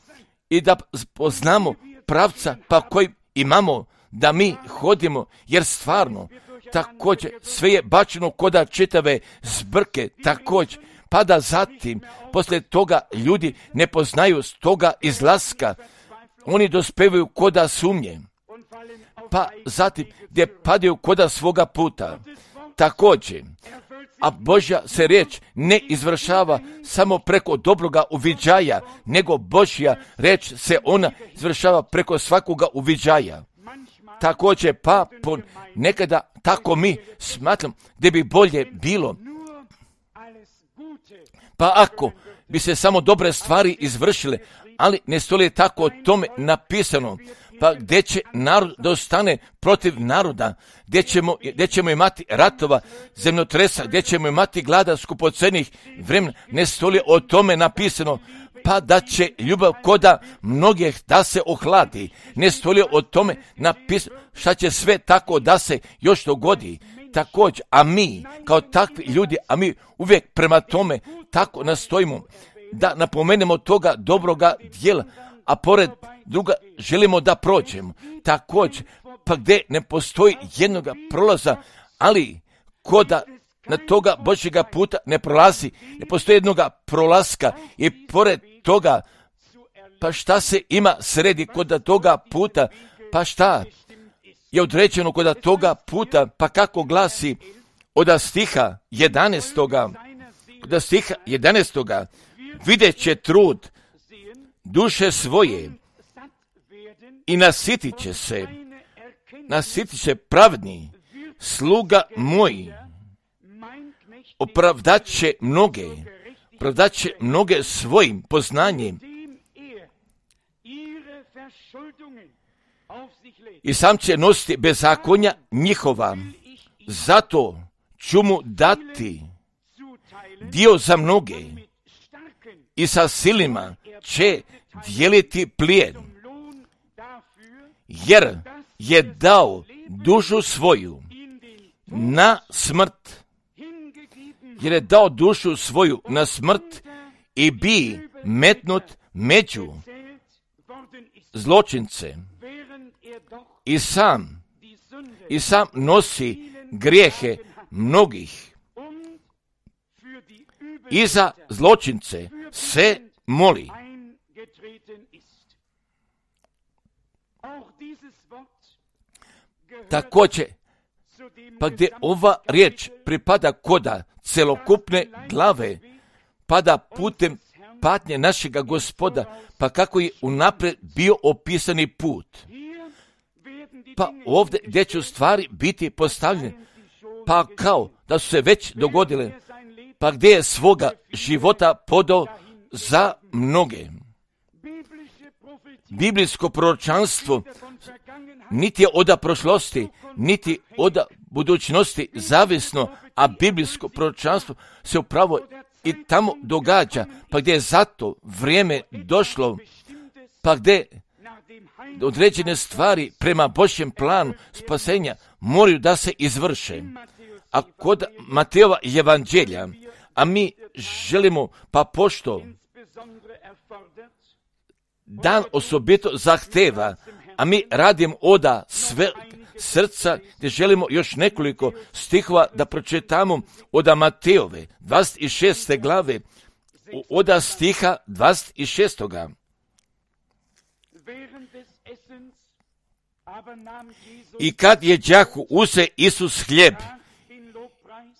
i da poznamo pravca pa koji imamo da mi hodimo, jer stvarno također sve je bačeno koda čitave zbrke, također, pa da zatim, posle toga ljudi ne poznaju s toga izlaska, oni dospevaju koda sumnje, pa zatim gdje padaju koda svoga puta. Također, a Božja se riječ ne izvršava samo preko dobroga uviđaja, nego Božja riječ se ona izvršava preko svakoga uviđaja. Također, pa nekada tako mi smatram da bi bolje bilo. Pa ako bi se samo dobre stvari izvršile, ali ne stoji tako o tome napisano. Pa gdje će narod da ostane protiv naroda, gdje ćemo imati ratova, zemljotresa, gdje ćemo imati glada, skupocenih vremena, ne stoji o tome napisano. Pa da će ljubav koda mnogih da se ohladi, ne stoji o tome napisano šta će sve tako da se još dogodi. Također, a mi kao takvi ljudi, a mi uvijek prema tome tako nastojimo da napomenemo toga dobroga djela, a pored druga želimo da prođemo. Također, pa gdje ne postoji jednoga prolaza, ali koda na toga Božjega puta ne prolazi, ne postoji jednoga prolaska i pored toga, pa šta se ima sredi koda toga puta, pa šta je određeno koda toga puta, pa kako glasi od stiha 11. Vidjet će trud duše svoje i nasit će pravedni sluga moji, opravdat će mnoge svojim poznanjem i sam će nositi bezakonja njihova. Zato ću mu dati dio za mnoge i sa silima će dijeliti plijen, jer je dao dušu svoju na smrt, i bi metnut među zločince i sam nosi grijehe mnogih i za zločince se moli. Također, pa gdje ova riječ pripada koda celokupne glave, pada putem patnje našega Gospoda, pa kako je unaprijed bio opisani put. Pa ovdje gdje će stvari biti postavljene, pa kao da su se već dogodile, pa gdje je svoga života podao za mnoge. Biblijsko proročanstvo niti je od prošlosti, niti od budućnosti zavisno, a biblijsko proročanstvo se upravo i tamo događa, pa gdje je zato vrijeme došlo, pa gdje određene stvari prema Božjem planu spasenja moraju da se izvrše. A kod Matejova evanđelja, a mi želimo, pa pošto dan osobito zahteva, a mi radimo oda sve srca, gdje želimo još nekoliko stihova da pročitamo oda Matejove 26. glave, oda stiha 26. I kad je đaku uze Isus hljeb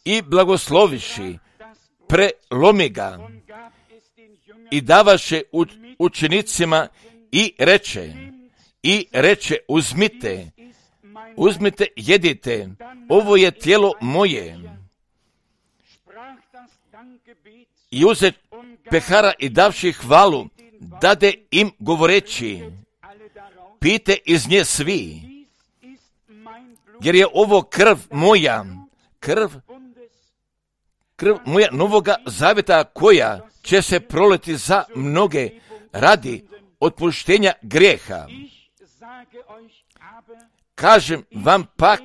i blagosloviši, prelomi ga i davaše učenicima i reče uzmite, jedite, ovo je tijelo moje. I uze pehara i davši hvalu, dade im govoreći, pijte iz nje svi, jer je ovo krv moja novoga zavjeta, koja će se proliti za mnoge radi otpuštenja grijeha. Kažem vam pak,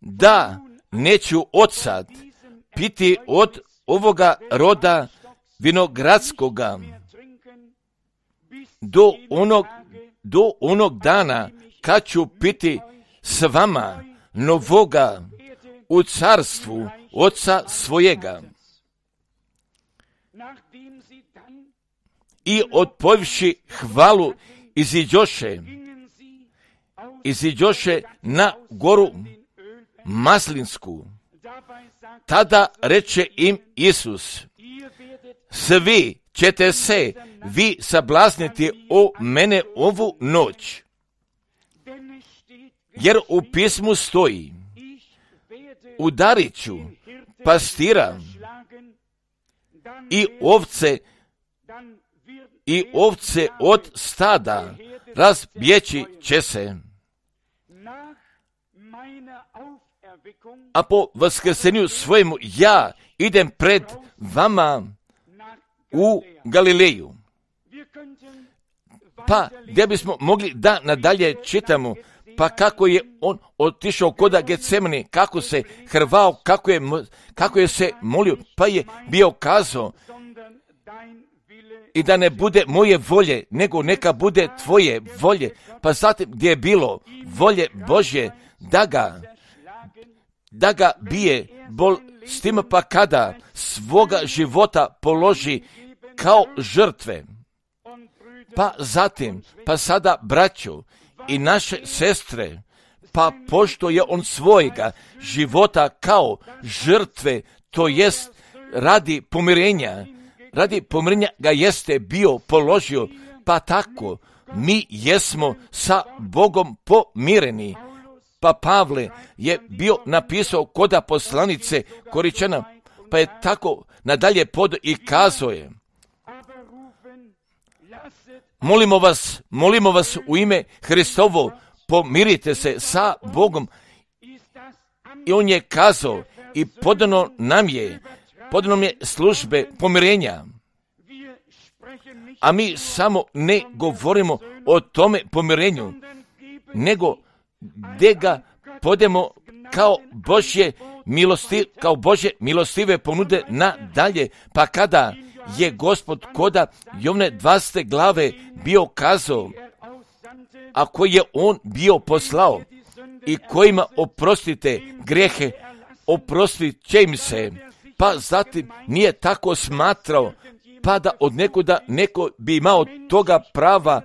da neću odsad piti od ovoga roda vinogradskoga do onog dana kad ću piti s vama novoga u carstvu Oca svojega. I odpojivši hvalu iziđoše na goru Maslinsku. Tada reče im Isus, svi ćete se vi sablazniti o mene ovu noć, jer u pismu stoji, udarit ću pastira i ovce i ovce od stada razbjeći će se. A po vaskrsenju svojemu ja idem pred vama u Galileju. Pa gdje bismo mogli da nadalje čitamo, pa kako je on otišao kod Getsemani, kako se hrvao, kako je se molio, pa je bio kazao i da ne bude moje volje, nego neka bude tvoje volje. Pa zatim gdje je bilo volje Božje da ga bije bol s tim, pa kada svoga života položi kao žrtve. Pa zatim, pa sada braćo i naše sestre, pa pošto je on svojega života kao žrtve, to jest radi pomirenja ga jeste bio položio, pa tako mi jesmo sa Bogom pomireni. Pa Pavle je bio napisao koda poslanice Koričana, pa je tako nadalje i kazao je: molimo vas u ime Hristovo, pomirite se sa Bogom. I on je kazao i podano nam je službe pomirenja. A mi samo ne govorimo o tome pomirenju, nego gdje ga podemo kao Božje milostive ponude nadalje. Pa kada je Gospod koda Jovne 20. glave bio kazao, a koji je on bio poslao i kojima oprostite grijehe, oprostit će im se. Pa zatim nije tako smatrao, pa da od nekuda neko bi imao toga prava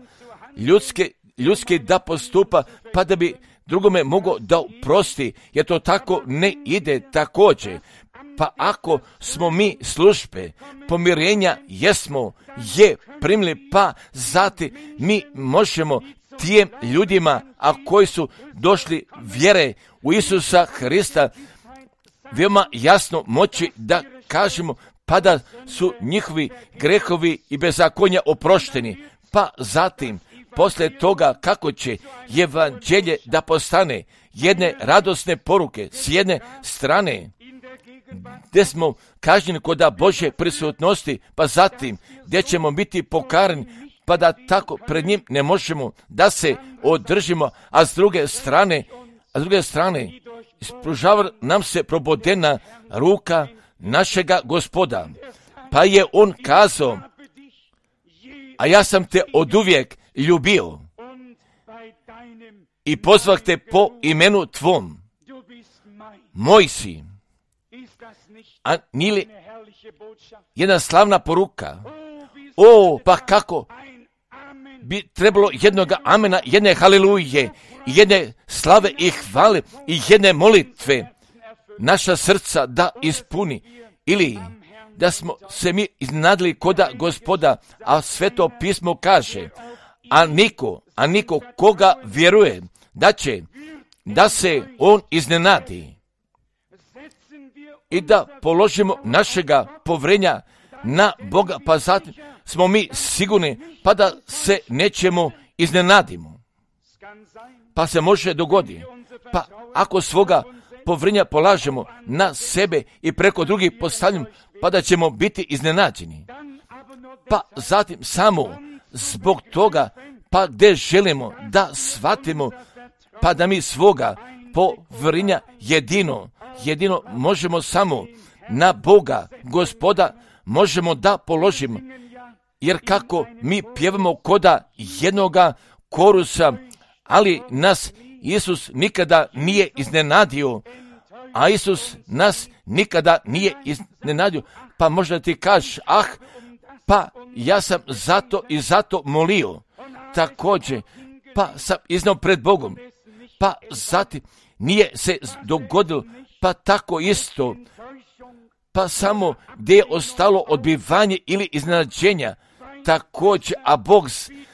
ljudski da postupa, pa da bi drugome mogao da oprosti, jer to tako ne ide također. Pa ako smo mi službe pomirenja je primili, pa zatim mi možemo tijem ljudima, a koji su došli vjere u Isusa Hrista, veoma jasno moći da kažemo, pa da su njihovi grehovi i bezakonja oprošteni. Pa zatim, poslije toga kako će evanđelje da postane jedne radosne poruke s jedne strane, gdje smo kažnjeni kod Božje prisutnosti, pa zatim gdje ćemo biti pokarani, pa da tako pred njim ne možemo da se održimo, a s druge strane ispružava nam se probodena ruka našega Gospoda. Pa je on kazao: a ja sam te oduvijek ljubio i pozvah te po imenu tvom, moj si. A nije li jedna slavna poruka? Pa kako bi trebalo jednoga amena, jedne haliluje, jedne slave i hvale i jedne molitve naša srca da ispuni, ili da smo se mi iznadili koda Gospoda, a Sveto pismo kaže: a niko koga vjeruje da se on iznenadi. I da položimo našega povrenja na Boga, pa zatim smo mi sigurni, pa da se nećemo iznenadimo. Pa se može dogoditi, pa ako svoga povrenja polažemo na sebe i preko drugih postavljamo, pa da ćemo biti iznenađeni. Pa zatim samo zbog toga, pa gdje želimo da shvatimo, pa da mi svoga povrenja jedino možemo samo na Boga, Gospoda, možemo da položimo. Jer kako mi pjevamo koda jednoga korusa, ali nas Isus nikada nije iznenadio, a Isus nas nikada nije iznenadio. Pa možda ti kažeš: pa ja sam zato molio također, pa sam iznao pred Bogom, pa zatim nije se dogodilo, pa tako isto, pa samo gdje je ostalo odbivanje ili iznenađenja također, a Bog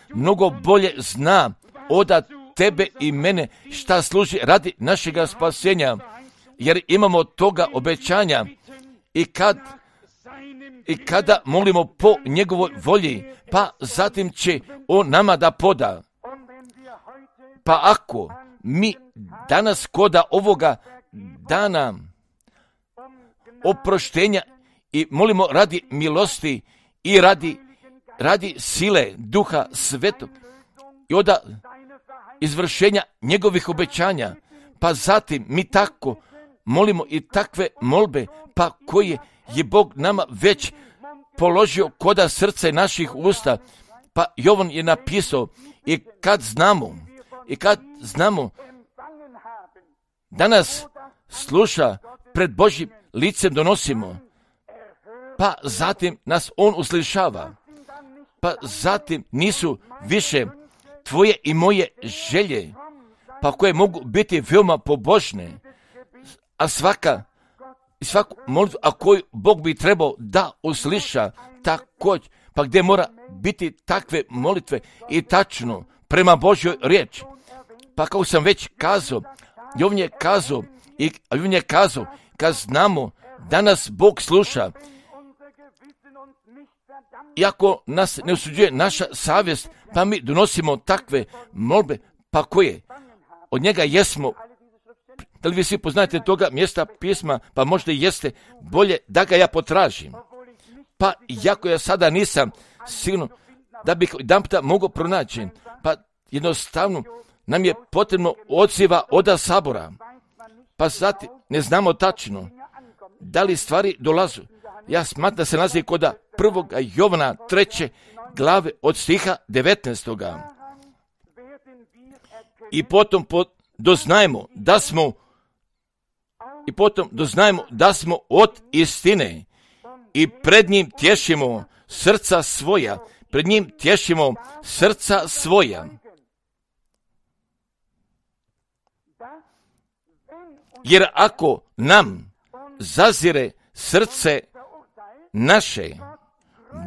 mnogo bolje zna od tebe i mene šta služi radi našega spasenja, jer imamo toga obećanja. I kad i kada molimo po njegovoj volji, pa zatim će on nama da poda. Pa ako mi danas koda ovoga dana oproštenja i molimo radi milosti i radi sile Duha Svetog i od izvršenja njegovih obećanja, pa zatim mi tako molimo i takve molbe, pa koje je Bog nama već položio koda srce naših usta, pa Jovan je napisao i kad znamo da nas sluša pred Božjim licem donosimo, pa zatim nas on uslišava, pa zatim nisu više tvoje i moje želje, pa koje mogu biti veoma pobožne, a svaku molitvu, a koju Bog bi trebao da usliša također, pa gdje mora biti takve molitve i tačno prema Božjoj riječi. Pa kao sam već kazao, Jovan je kazao, kad znamo da nas Bog sluša, iako nas ne osuđuje naša savjest, pa mi donosimo takve molbe, pa koje od njega jesmo. Da li vi svi poznajete toga mjesta pisma, pa možda i jeste, bolje da ga ja potražim. Pa iako ja sada nisam sigurno da bih jedan puta mogao pronaći, pa jednostavno nam je potrebno odziva od sabora. Pa zatim ne znamo tačno da li stvari dolazu. Ja smatram da se nalazi kod 1. Jovana 3. glave od stiha 19. I potom doznajemo da smo od istine i pred njim tješimo srca svoja. Jer ako nam zazire srce naše,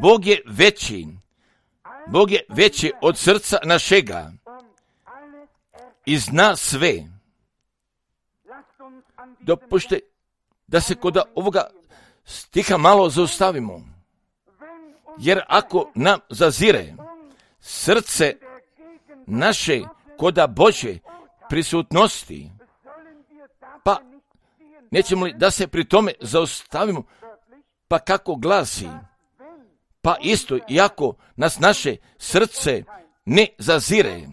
Bog je veći od srca našega i zna sve. Dopušte da se kod ovoga stiha malo zaustavimo. Jer ako nam zazire srce naše koda Božje prisutnosti, pa nećemo li da se pri tome zaustavimo, pa kako glasi, pa isto iako nas naše srce ne zazire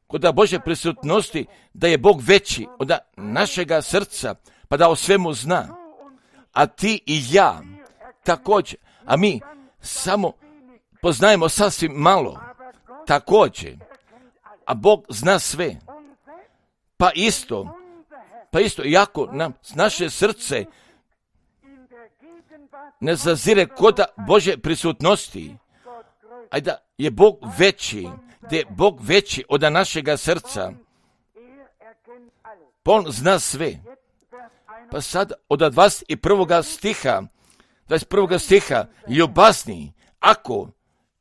kod Božje prisutnosti, da je Bog veći od našega srca, pa da o svemu zna, a ti i ja također, a mi samo poznajemo sasvim malo također, a Bog zna sve, pa isto iako nam naše srce ne zazire kod Božje prisutnosti, a da je Bog veći od našega srca, pa on zna sve. Pa sad od 21. stiha, ljubazni, ako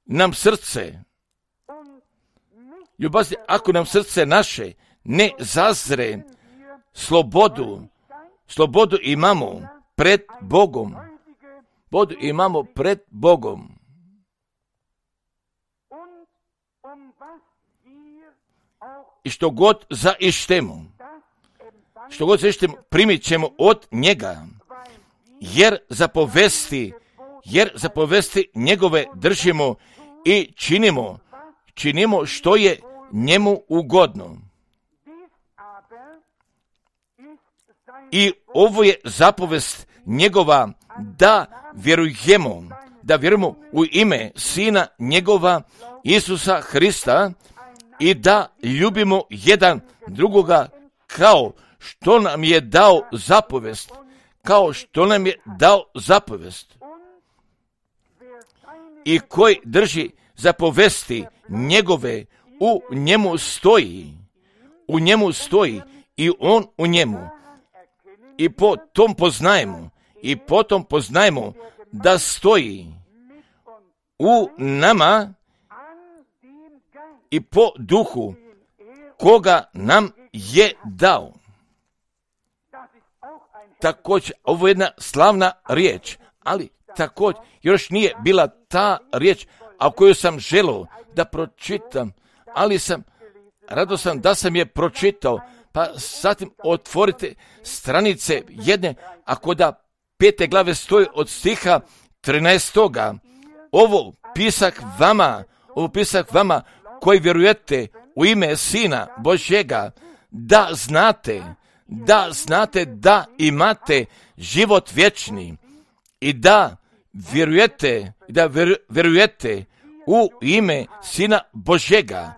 nam srce naše ne zazre, slobodu imamo pred Bogom. I što god zaištemo, primit ćemo od njega, jer zapovesti njegove držimo i činimo što je njemu ugodno. I ovo je zapovest njegova, da vjerujemo u ime Sina njegova Isusa Hrista i da ljubimo jedan drugoga kao što nam je dao zapovest. I koji drži zapovesti njegove, u njemu stoji i on u njemu. I potom poznajemo da stoji u nama i po duhu koga nam je dao. Također, ovo je jedna slavna riječ, ali također još nije bila ta riječ, a koju sam želio da pročitam, ali radostan da sam je pročitao, pa zatim otvorite stranice jedne, ako da 5. glave stoji od stiha 13. Ovo pisak vama koji vjerujete u ime Sina Božjega, da znate da imate život vječni i da vjerujete u ime Sina Božjega.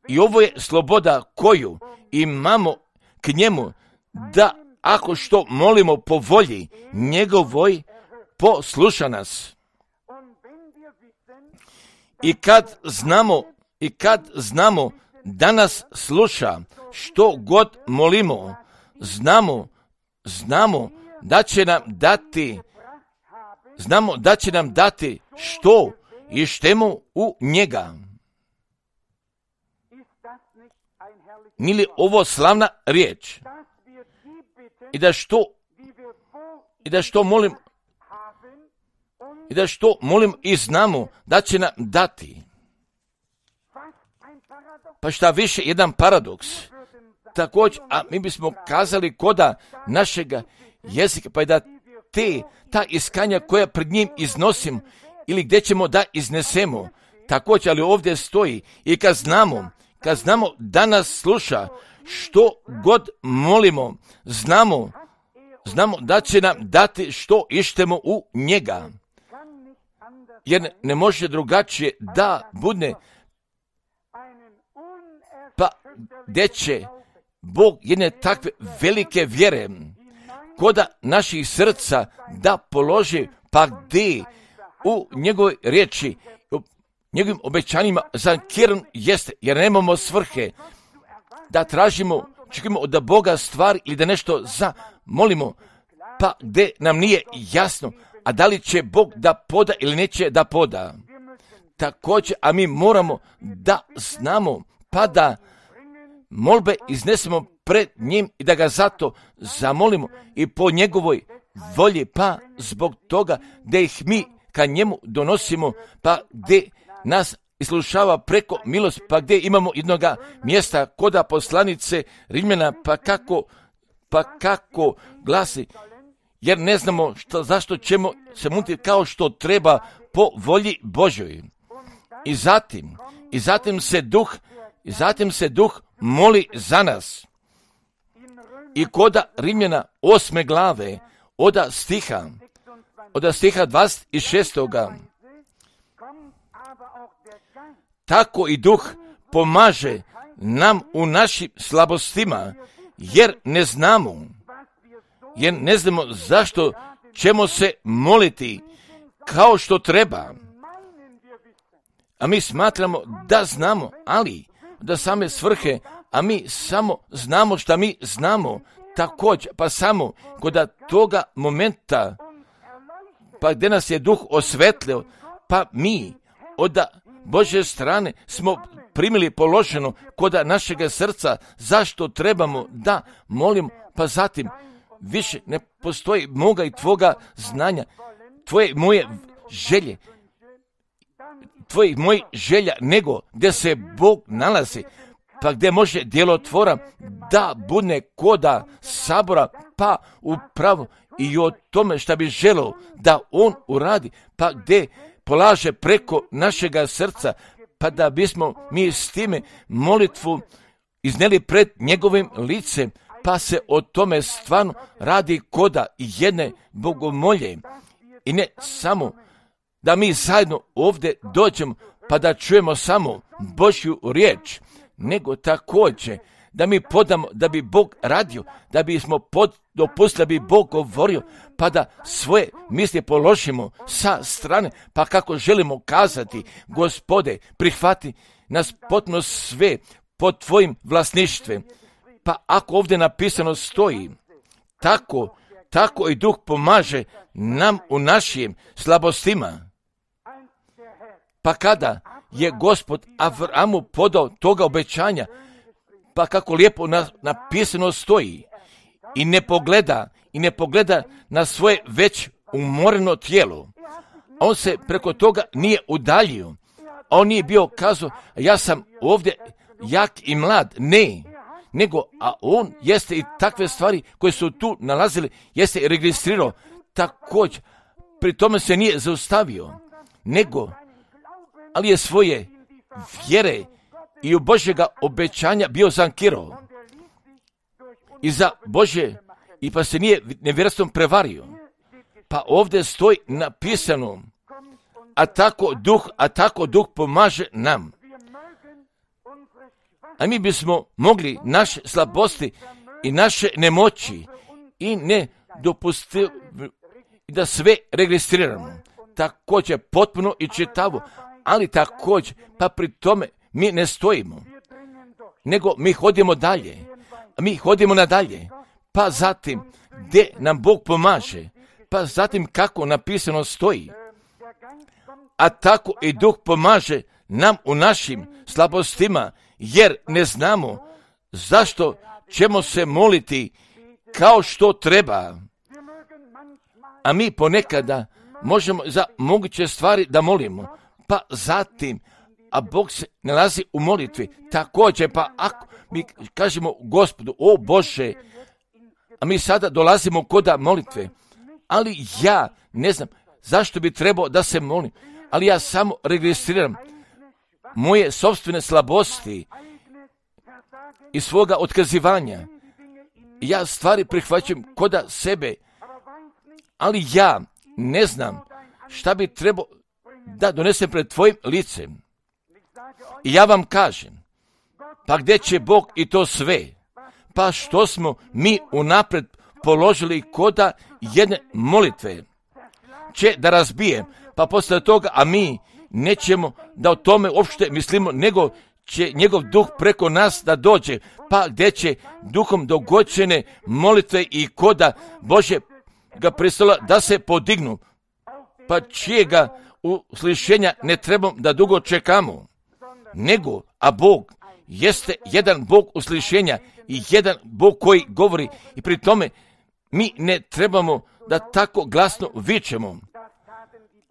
I ovo je sloboda koju imamo k njemu, da ako što molimo po volji njegovoj, posluša nas. I kad znamo da nas sluša, što god molimo, znamo da će nam dati što ištemo u njega. Nije li ovo slavna riječ? I da što molim i znamo da će nam dati. Pa šta više, jedan paradoks. Također, a mi bismo kazali koda našega jezika, pa i da ta iskanja koja pred njim iznosim, ili gdje ćemo da iznesemo, također, ali ovdje stoji, i kad znamo da nas sluša, što god molimo, znamo da će nam dati što ištemo u njega. Jer ne može drugačije da bude, pa gdje će Bog jedne takve velike vjere koda naših srca da položi, pa gdje u njegovoj riječi, u njegovim obećanjima zankiran jeste, jer nemamo svrhe da tražimo, čekamo od Boga stvari ili da nešto zamolimo, pa gdje nam nije jasno, a da li će Bog da poda ili neće da poda. Također, a mi moramo da znamo, pa da molbe iznesemo pred njim i da ga zato zamolimo i po njegovoj volji, pa zbog toga da ih mi ka njemu donosimo, pa gdje nas islušava preko milost, pa gdje imamo jednoga mjesta koda poslanice Rimljana, pa kako glasi, jer ne znamo zašto ćemo se moliti kao što treba po volji Božoj. I zatim se duh moli za nas. I koda Rimljana 8. glave od stiha 26. Tako i duh pomaže nam u našim slabostima, jer ne znamo zašto ćemo se moliti kao što treba. A mi smatramo da znamo, ali da same svrhe, a mi samo znamo šta mi znamo. Također, pa samo kod toga momenta, pa gdje nas je duh osvetlio, pa mi od Božje strane smo primili položeno kod našega srca zašto trebamo da molimo, pa zatim više ne postoji moga i tvoga znanja, tvoje moje želje, tvojih mojih želja, nego gdje se Bog nalazi, pa gdje može djelotvora da bude koda sabora, pa upravo i o tome šta bi želio da on uradi, pa gdje polaže preko našega srca, pa da bismo mi s time molitvu izneli pred njegovim licem, pa se o tome stvarno radi koda jedne bogomolje. I ne samo da mi zajedno ovdje dođemo pa da čujemo samo Božju riječ, nego također da mi podamo da bi Bog radio, da bismo dopustili da bi Bog govorio, pa da svoje misli položimo sa strane, pa kako želimo kazati, Gospode, prihvati nas potpuno sve pod tvojim vlasništvom. Pa ako ovdje napisano stoji, tako i Duh pomaže nam u našim slabostima. Pa kada je Gospod Avramu podao toga obećanja, pa kako lijepo napisano stoji, i ne pogleda na svoje već umoreno tijelo. On se preko toga nije udaljio. On nije bio kazao, ja sam ovdje jak i mlad. Ne, nego, a on jeste i takve stvari koje su tu nalazili, jeste i registrirao. Također, pri tome se nije zaustavio, nego, ali je svoje vjere i u Božjega obećanja bio zankirao. I za Božje, i pa se nije nevjerstvom prevario. Pa ovdje stoji napisano, a tako duh pomaže nam. A mi bismo mogli naše slabosti i naše nemoći i ne dopustiti da sve registriramo. Također potpuno i čitavo, ali također, pa pri tome mi ne stojimo, nego mi hodimo dalje, mi hodimo nadalje, pa zatim gdje nam Bog pomaže, pa zatim kako napisano stoji, a tako i Duh pomaže nam u našim slabostima, jer ne znamo zašto ćemo se moliti kao što treba. A mi ponekada možemo za moguće stvari da molimo, pa zatim, a Bog se nalazi u molitvi. Također, pa ako mi kažemo Gospodu, o Bože, a mi sada dolazimo koda molitve, ali ja ne znam zašto bi trebao da se molim, ali ja samo registriram moje sopstvene slabosti i svoga otkazivanja. Ja stvari prihvaćam koda sebe, ali ja ne znam šta bi trebao da donesem pred tvojim licem. I ja vam kažem, pa gdje će Bog i to sve? Pa što smo mi unapred položili koda jedne molitve će da razbije, pa posle toga, a mi nećemo da o tome uopšte mislimo, nego će njegov duh preko nas da dođe, pa gdje će duhom dogođene molitve i koda Bože ga prestola da se podignu, pa čijega uslišenja ne trebamo da dugo čekamo, nego, a Bog jeste jedan Bog uslišenja i jedan Bog koji govori, i pri tome mi ne trebamo da tako glasno vičemo.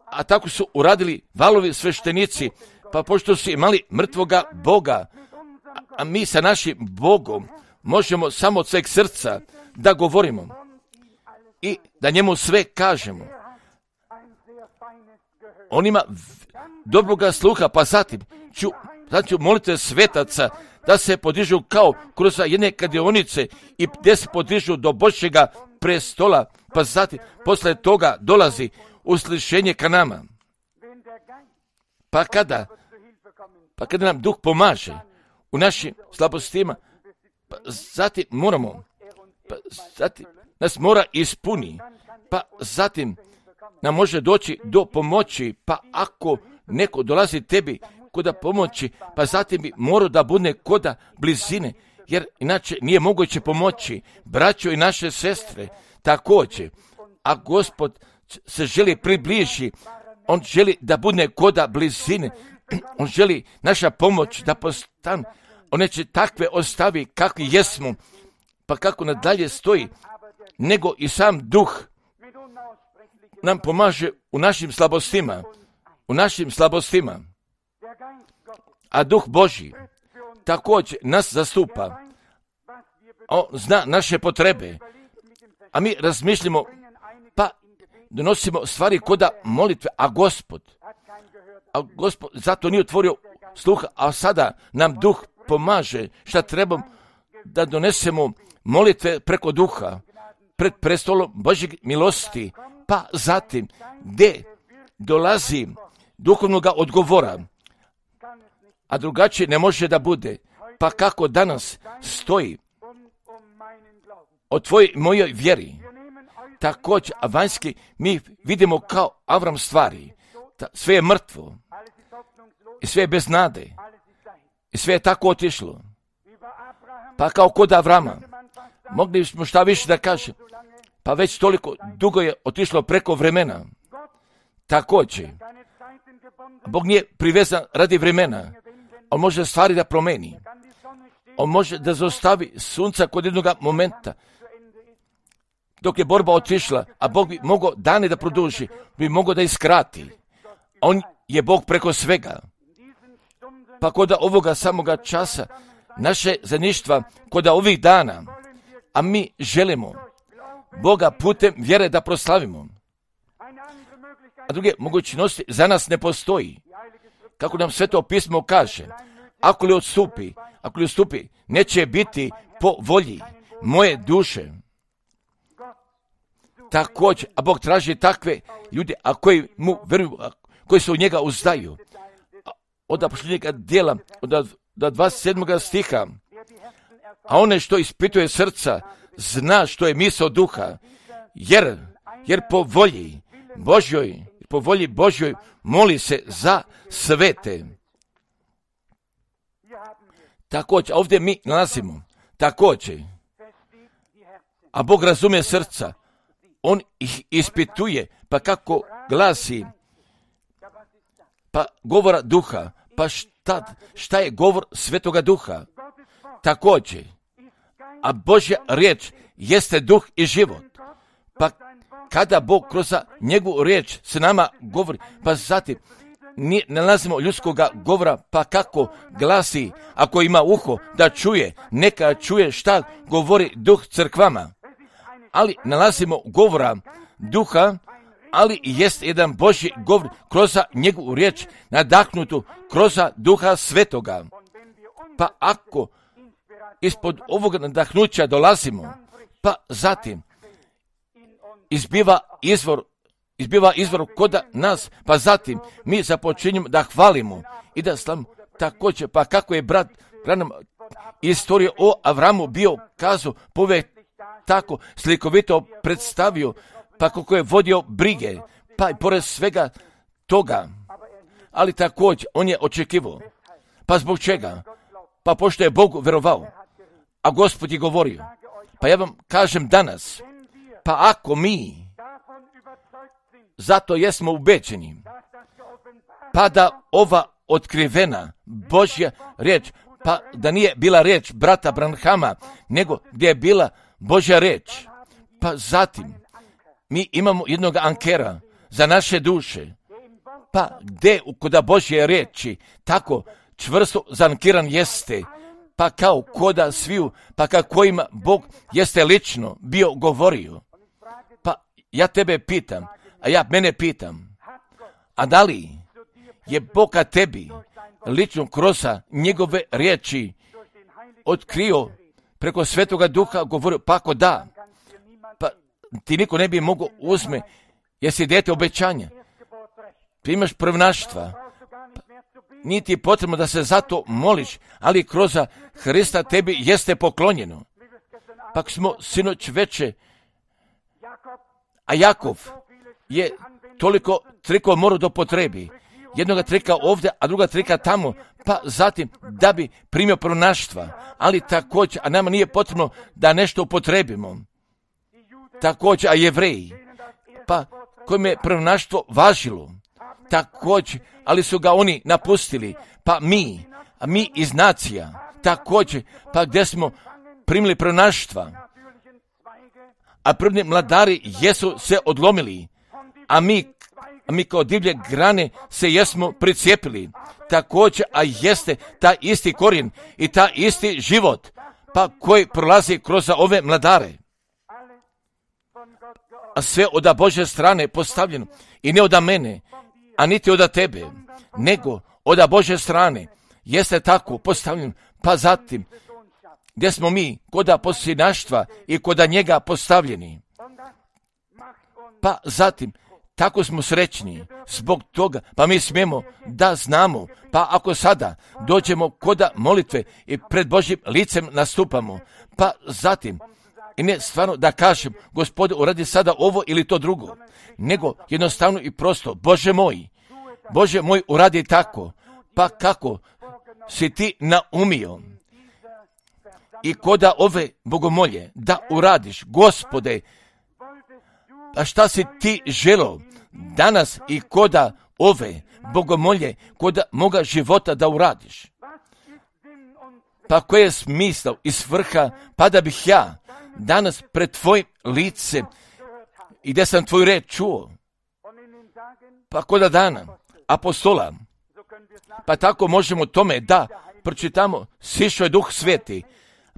A tako su uradili Valovi sveštenici, pa pošto su imali mrtvoga Boga, a mi sa našim Bogom možemo samo od sveg srca da govorimo i da njemu sve kažemo. On ima dobroga sluha, pa zatim ću molitve svetaca da se podižu kao kroz jedne kadionice i gdje se podižu do Božjega prestola, pa zatim posle toga dolazi uslišenje ka nama. Pa kada nam Duh pomaže u našim slabostima, pa zatim nas mora ispuni, pa zatim nam može doći do pomoći, pa ako neko dolazi tebi koda pomoći, pa zatim bi morao da bude koda blizine, jer inače nije moguće pomoći. Braćo i naše sestre, također, a Gospod se želi približi, on želi da bude koda blizine, on želi naša pomoć da postane, on neće takve ostavi kakvi jesmo, pa kako nadalje stoji, nego i sam Duh nam pomaže u našim slabostima, a Duh Božji također nas zastupa, on zna naše potrebe, a mi razmišljamo, pa donosimo stvari koda molitve, a Gospod zato nije otvorio sluha, a sada nam Duh pomaže šta trebamo da donesemo molitve preko Duha, pred prestolom Božjeg milosti, pa zatim gdje dolazi duhovnoga odgovora, a drugačije ne može da bude, pa kako danas stoji o tvojoj mojoj vjeri. Također, a vanjski mi vidimo kao Avram stvari, sve je mrtvo i sve je bez nade i sve je tako otišlo. Pa kao kod Avrama, mogli smo šta više da kažem, pa već toliko dugo je otišlo preko vremena. Također, Bog nije privezan radi vremena, on može stvari da promeni, on može da zaustavi sunca kod jednog momenta, dok je borba otišla, a Bog bi mogao dane da produži, bi mogao da iskrati. On je Bog preko svega. Pa kod ovoga samoga časa, naše zajedništva, kod ovih dana, a mi želimo Boga putem vjere da proslavimo. A druge mogućnosti za nas ne postoji. Kako nam Sveto pismo kaže, ako li odstupi, neće biti po volji moje duše. Također, a Bog traži takve ljude, a koji mu veruju, koji se u njega uzdaju. Od apostolskih djela, od 27. stiha, a one što ispituje srca, zna što je misao duha, jer po volji Božjoj moli se za svete. Također, ovdje mi nalazimo, također, a Bog razumije srca, on ih ispituje, pa kako glasi, pa govora duha, pa šta je govor Svetoga Duha? Također, a Božja riječ jeste duh i život. Pa kada Bog kroz njegovu riječ s nama govori, pa zatim ne nalazimo ljudskoga govora, pa kako glasi, ako ima uho da čuje, neka čuje šta govori duh crkvama. Ali nalazimo govora duha, ali jest jedan Božji govor kroz njegovu riječ nadahnutu kroz Duha Svetoga. Pa ako ispod ovoga nadahnuća dolazimo, pa zatim izbiva izvor kod nas, pa zatim mi započinjemo da hvalimo i da slavimo. Također, pa kako je brat Branham istoriju o Avramu bio kazao, povijek tako slikovito predstavio, pa kako je vodio brige, pa i pored svega toga, ali također on je očekivao. Pa zbog čega? Pa pošto je Bogu verovao, a Gospod je govorio. Pa ja vam kažem danas, pa ako mi zato jesmo ubeđeni, pa da ova otkrivena Božja riječ, pa da nije bila riječ brata Branhama, nego gdje je bila Božja riječ, pa zatim mi imamo jednog ankera za naše duše, pa gdje kod Božje riječi tako čvrsto zankiran jeste, pa kao koda sviju, pa kako ima Bog jeste lično bio govorio. Pa ja tebe pitam, a ja mene pitam, a da li je Bog tebi lično kroz njegove riječi otkrio preko Svetoga Duha govorio, pa ako da, pa ti niko ne bi mogao uzme, jer si dijete obećanja, ti imaš prvnaštva, nije ti potrebno da se zato moliš, ali kroz Hrista tebi jeste poklonjeno. Pa smo sinoć veče, a Jakov je toliko trikova morao da potrebi. Jednoga trika ovdje, a druga trika tamo, pa zatim da bi primio prvnaštva, ali također, a nama nije potrebno da nešto upotrebimo. Također, a Jevreji, pa kojim je prvnaštvo važilo, također, ali su ga oni napustili, pa mi iz nacija, također, pa gdje smo primili prvnaštva, a prvni mladari jesu se odlomili, a mi kao divlje grane se jesmo pricijepili, također, a jeste ta isti korijen i ta isti život, pa koji prolazi kroz ove mladare. A sve od Božje strane postavljeno i ne od mene, a niti od tebe, nego od Božje strane jeste tako postavljeno, pa zatim gdje smo mi kod posljednaštva i kod njega postavljeni. Pa zatim tako smo srećni zbog toga, pa mi smijemo da znamo, pa ako sada dođemo kod molitve i pred Božjim licem nastupamo, pa zatim i ne stvarno da kažem, Gospode, uradi sada ovo ili to drugo, nego jednostavno i prosto, Bože moj, uradi tako, pa kako si ti naumio i koda ove bogomolje da uradiš, Gospode, a šta si ti želio danas i koda ove bogomolje, koda moga života da uradiš? Pa koje je smisao i svrha, pa da bih ja danas pred tvojim lice i gdje sam tvoju reč čuo. Pa koda dana apostola, pa tako možemo tome da pročitamo, sišao je Duh Sveti,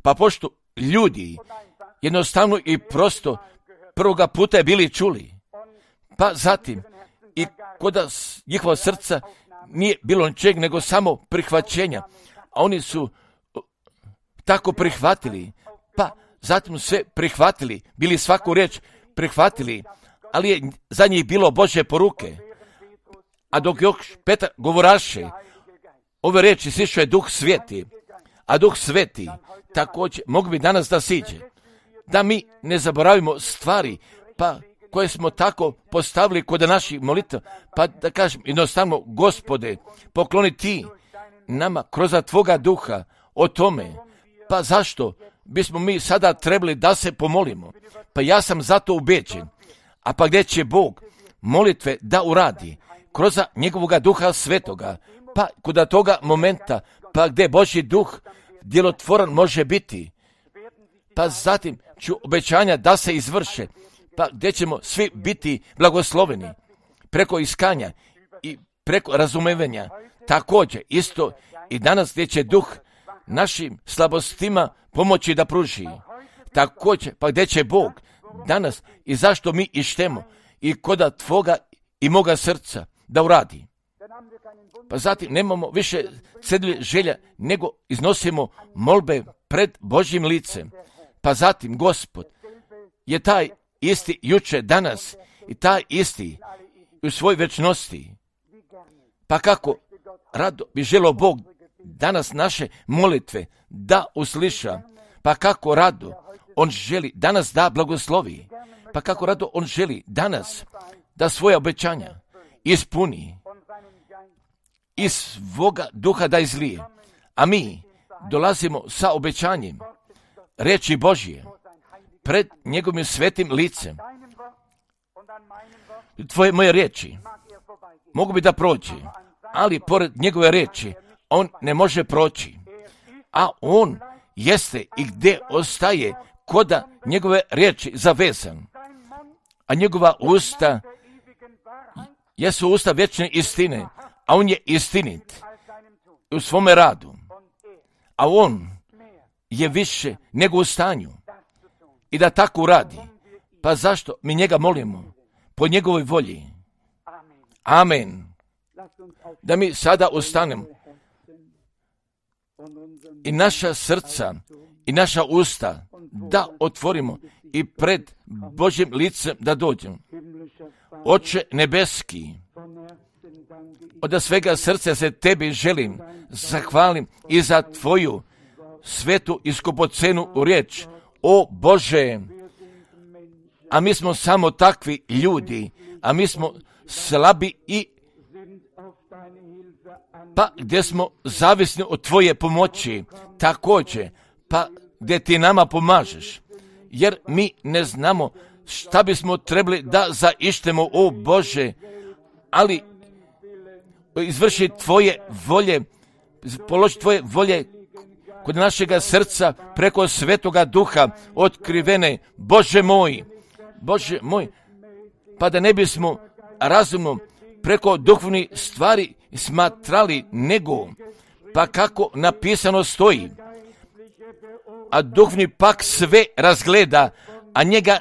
pa pošto ljudi jednostavno i prosto prvoga puta je bili čuli, pa zatim i koda njihova srca nije bilo ničeg nego samo prihvaćenja, a oni su tako prihvatili, pa zatim sve prihvatili, bili svaku riječ prihvatili, ali je za njih bilo Božje poruke. A dok još Petar govoraše ove riječi, sišao je Duh Sveti, a Duh Sveti također mogu bi danas da siđe, da mi ne zaboravimo stvari, pa koje smo tako postavili kod naših molitva, pa da kažem jednostavno, Gospode, pokloni ti nama kroz tvoga duha o tome, pa zašto bismo mi sada trebali da se pomolimo? Pa ja sam zato ubeđen, a pa gdje će Bog molitve da uradi kroz njegovoga Duha Svetoga, pa kod toga momenta, pa gdje Božji duh djelotvoran može biti, pa zatim ću obećanja da se izvrše, pa gdje ćemo svi biti blagosloveni preko iskanja i preko razumevanja. Također isto i danas gdje će duh našim slabostima pomoći da pruži. Također pa gdje će Bog danas i zašto mi ištemo i koda tvoga i moga srca da uradi. Pa zatim nemamo više cedlje želja, nego iznosimo molbe pred Božjim licem. Pa zatim Gospod je taj isti juče, danas i taj isti u svoj večnosti. Pa kako rado bi želio Bog danas naše molitve da usliša, pa kako rado On želi danas da blagoslovi, pa kako rado On želi danas da svoje obećanja ispuni iz svoga duha da izlije. A mi dolazimo sa obećanjem reči Božje pred njegovim svetim licem. Tvoje moje riječi mogu bi da prođe, ali pored njegove riječi on ne može proći. A on jeste i gdje ostaje koda njegove riječi zavezan. A njegova usta jesu usta vječne istine, a on je istinit u svome radu. A on je više nego u stanju i da tako radi. Pa zašto mi njega molimo? Po njegovoj volji. Amen. Da mi sada ustanemo i naša srca i naša usta da otvorimo i pred Božjim licem da dođemo. Oče nebeski, od svega srca se tebi želim, zahvalim i za tvoju svetu i skupocenu riječ. O Bože, a mi smo samo takvi ljudi, a mi smo slabi i pa gdje smo zavisni od tvoje pomoći, također, pa gdje ti nama pomažeš, jer mi ne znamo šta bismo trebali da zaištemo, o Bože, ali izvrši tvoje volje, položi tvoje volje kod našega srca preko Svetoga Duha otkrivene, Bože moj, pa da ne bismo razumno preko duhovnih stvari smatrali nego, pa kako napisano stoji, a duhovni pak sve razgleda, a njega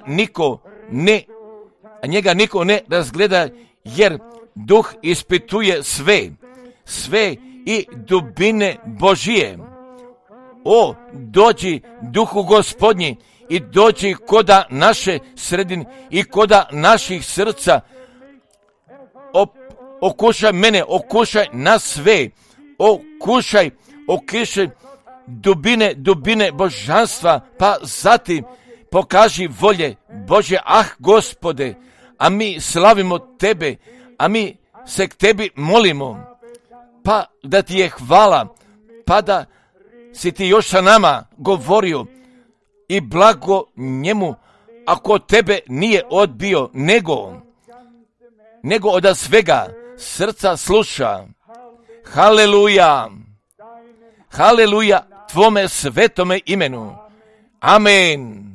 niko ne razgleda, jer duh ispituje sve i dubine Božije. O, dođi Duhu Gospodnji i dođi koda naše sredine i koda naših srca. Okušaj mene, okušaj nas sve, okušaj dubine božanstva, pa zatim pokaži volje Bože, Gospode, a mi slavimo tebe, a mi se k tebi molimo, pa da ti je hvala, pa da si ti još sa nama govorio i blago njemu, ako tebe nije odbio, nego od svega srca sluša. Haleluja, tvome svetome imenu. Amen.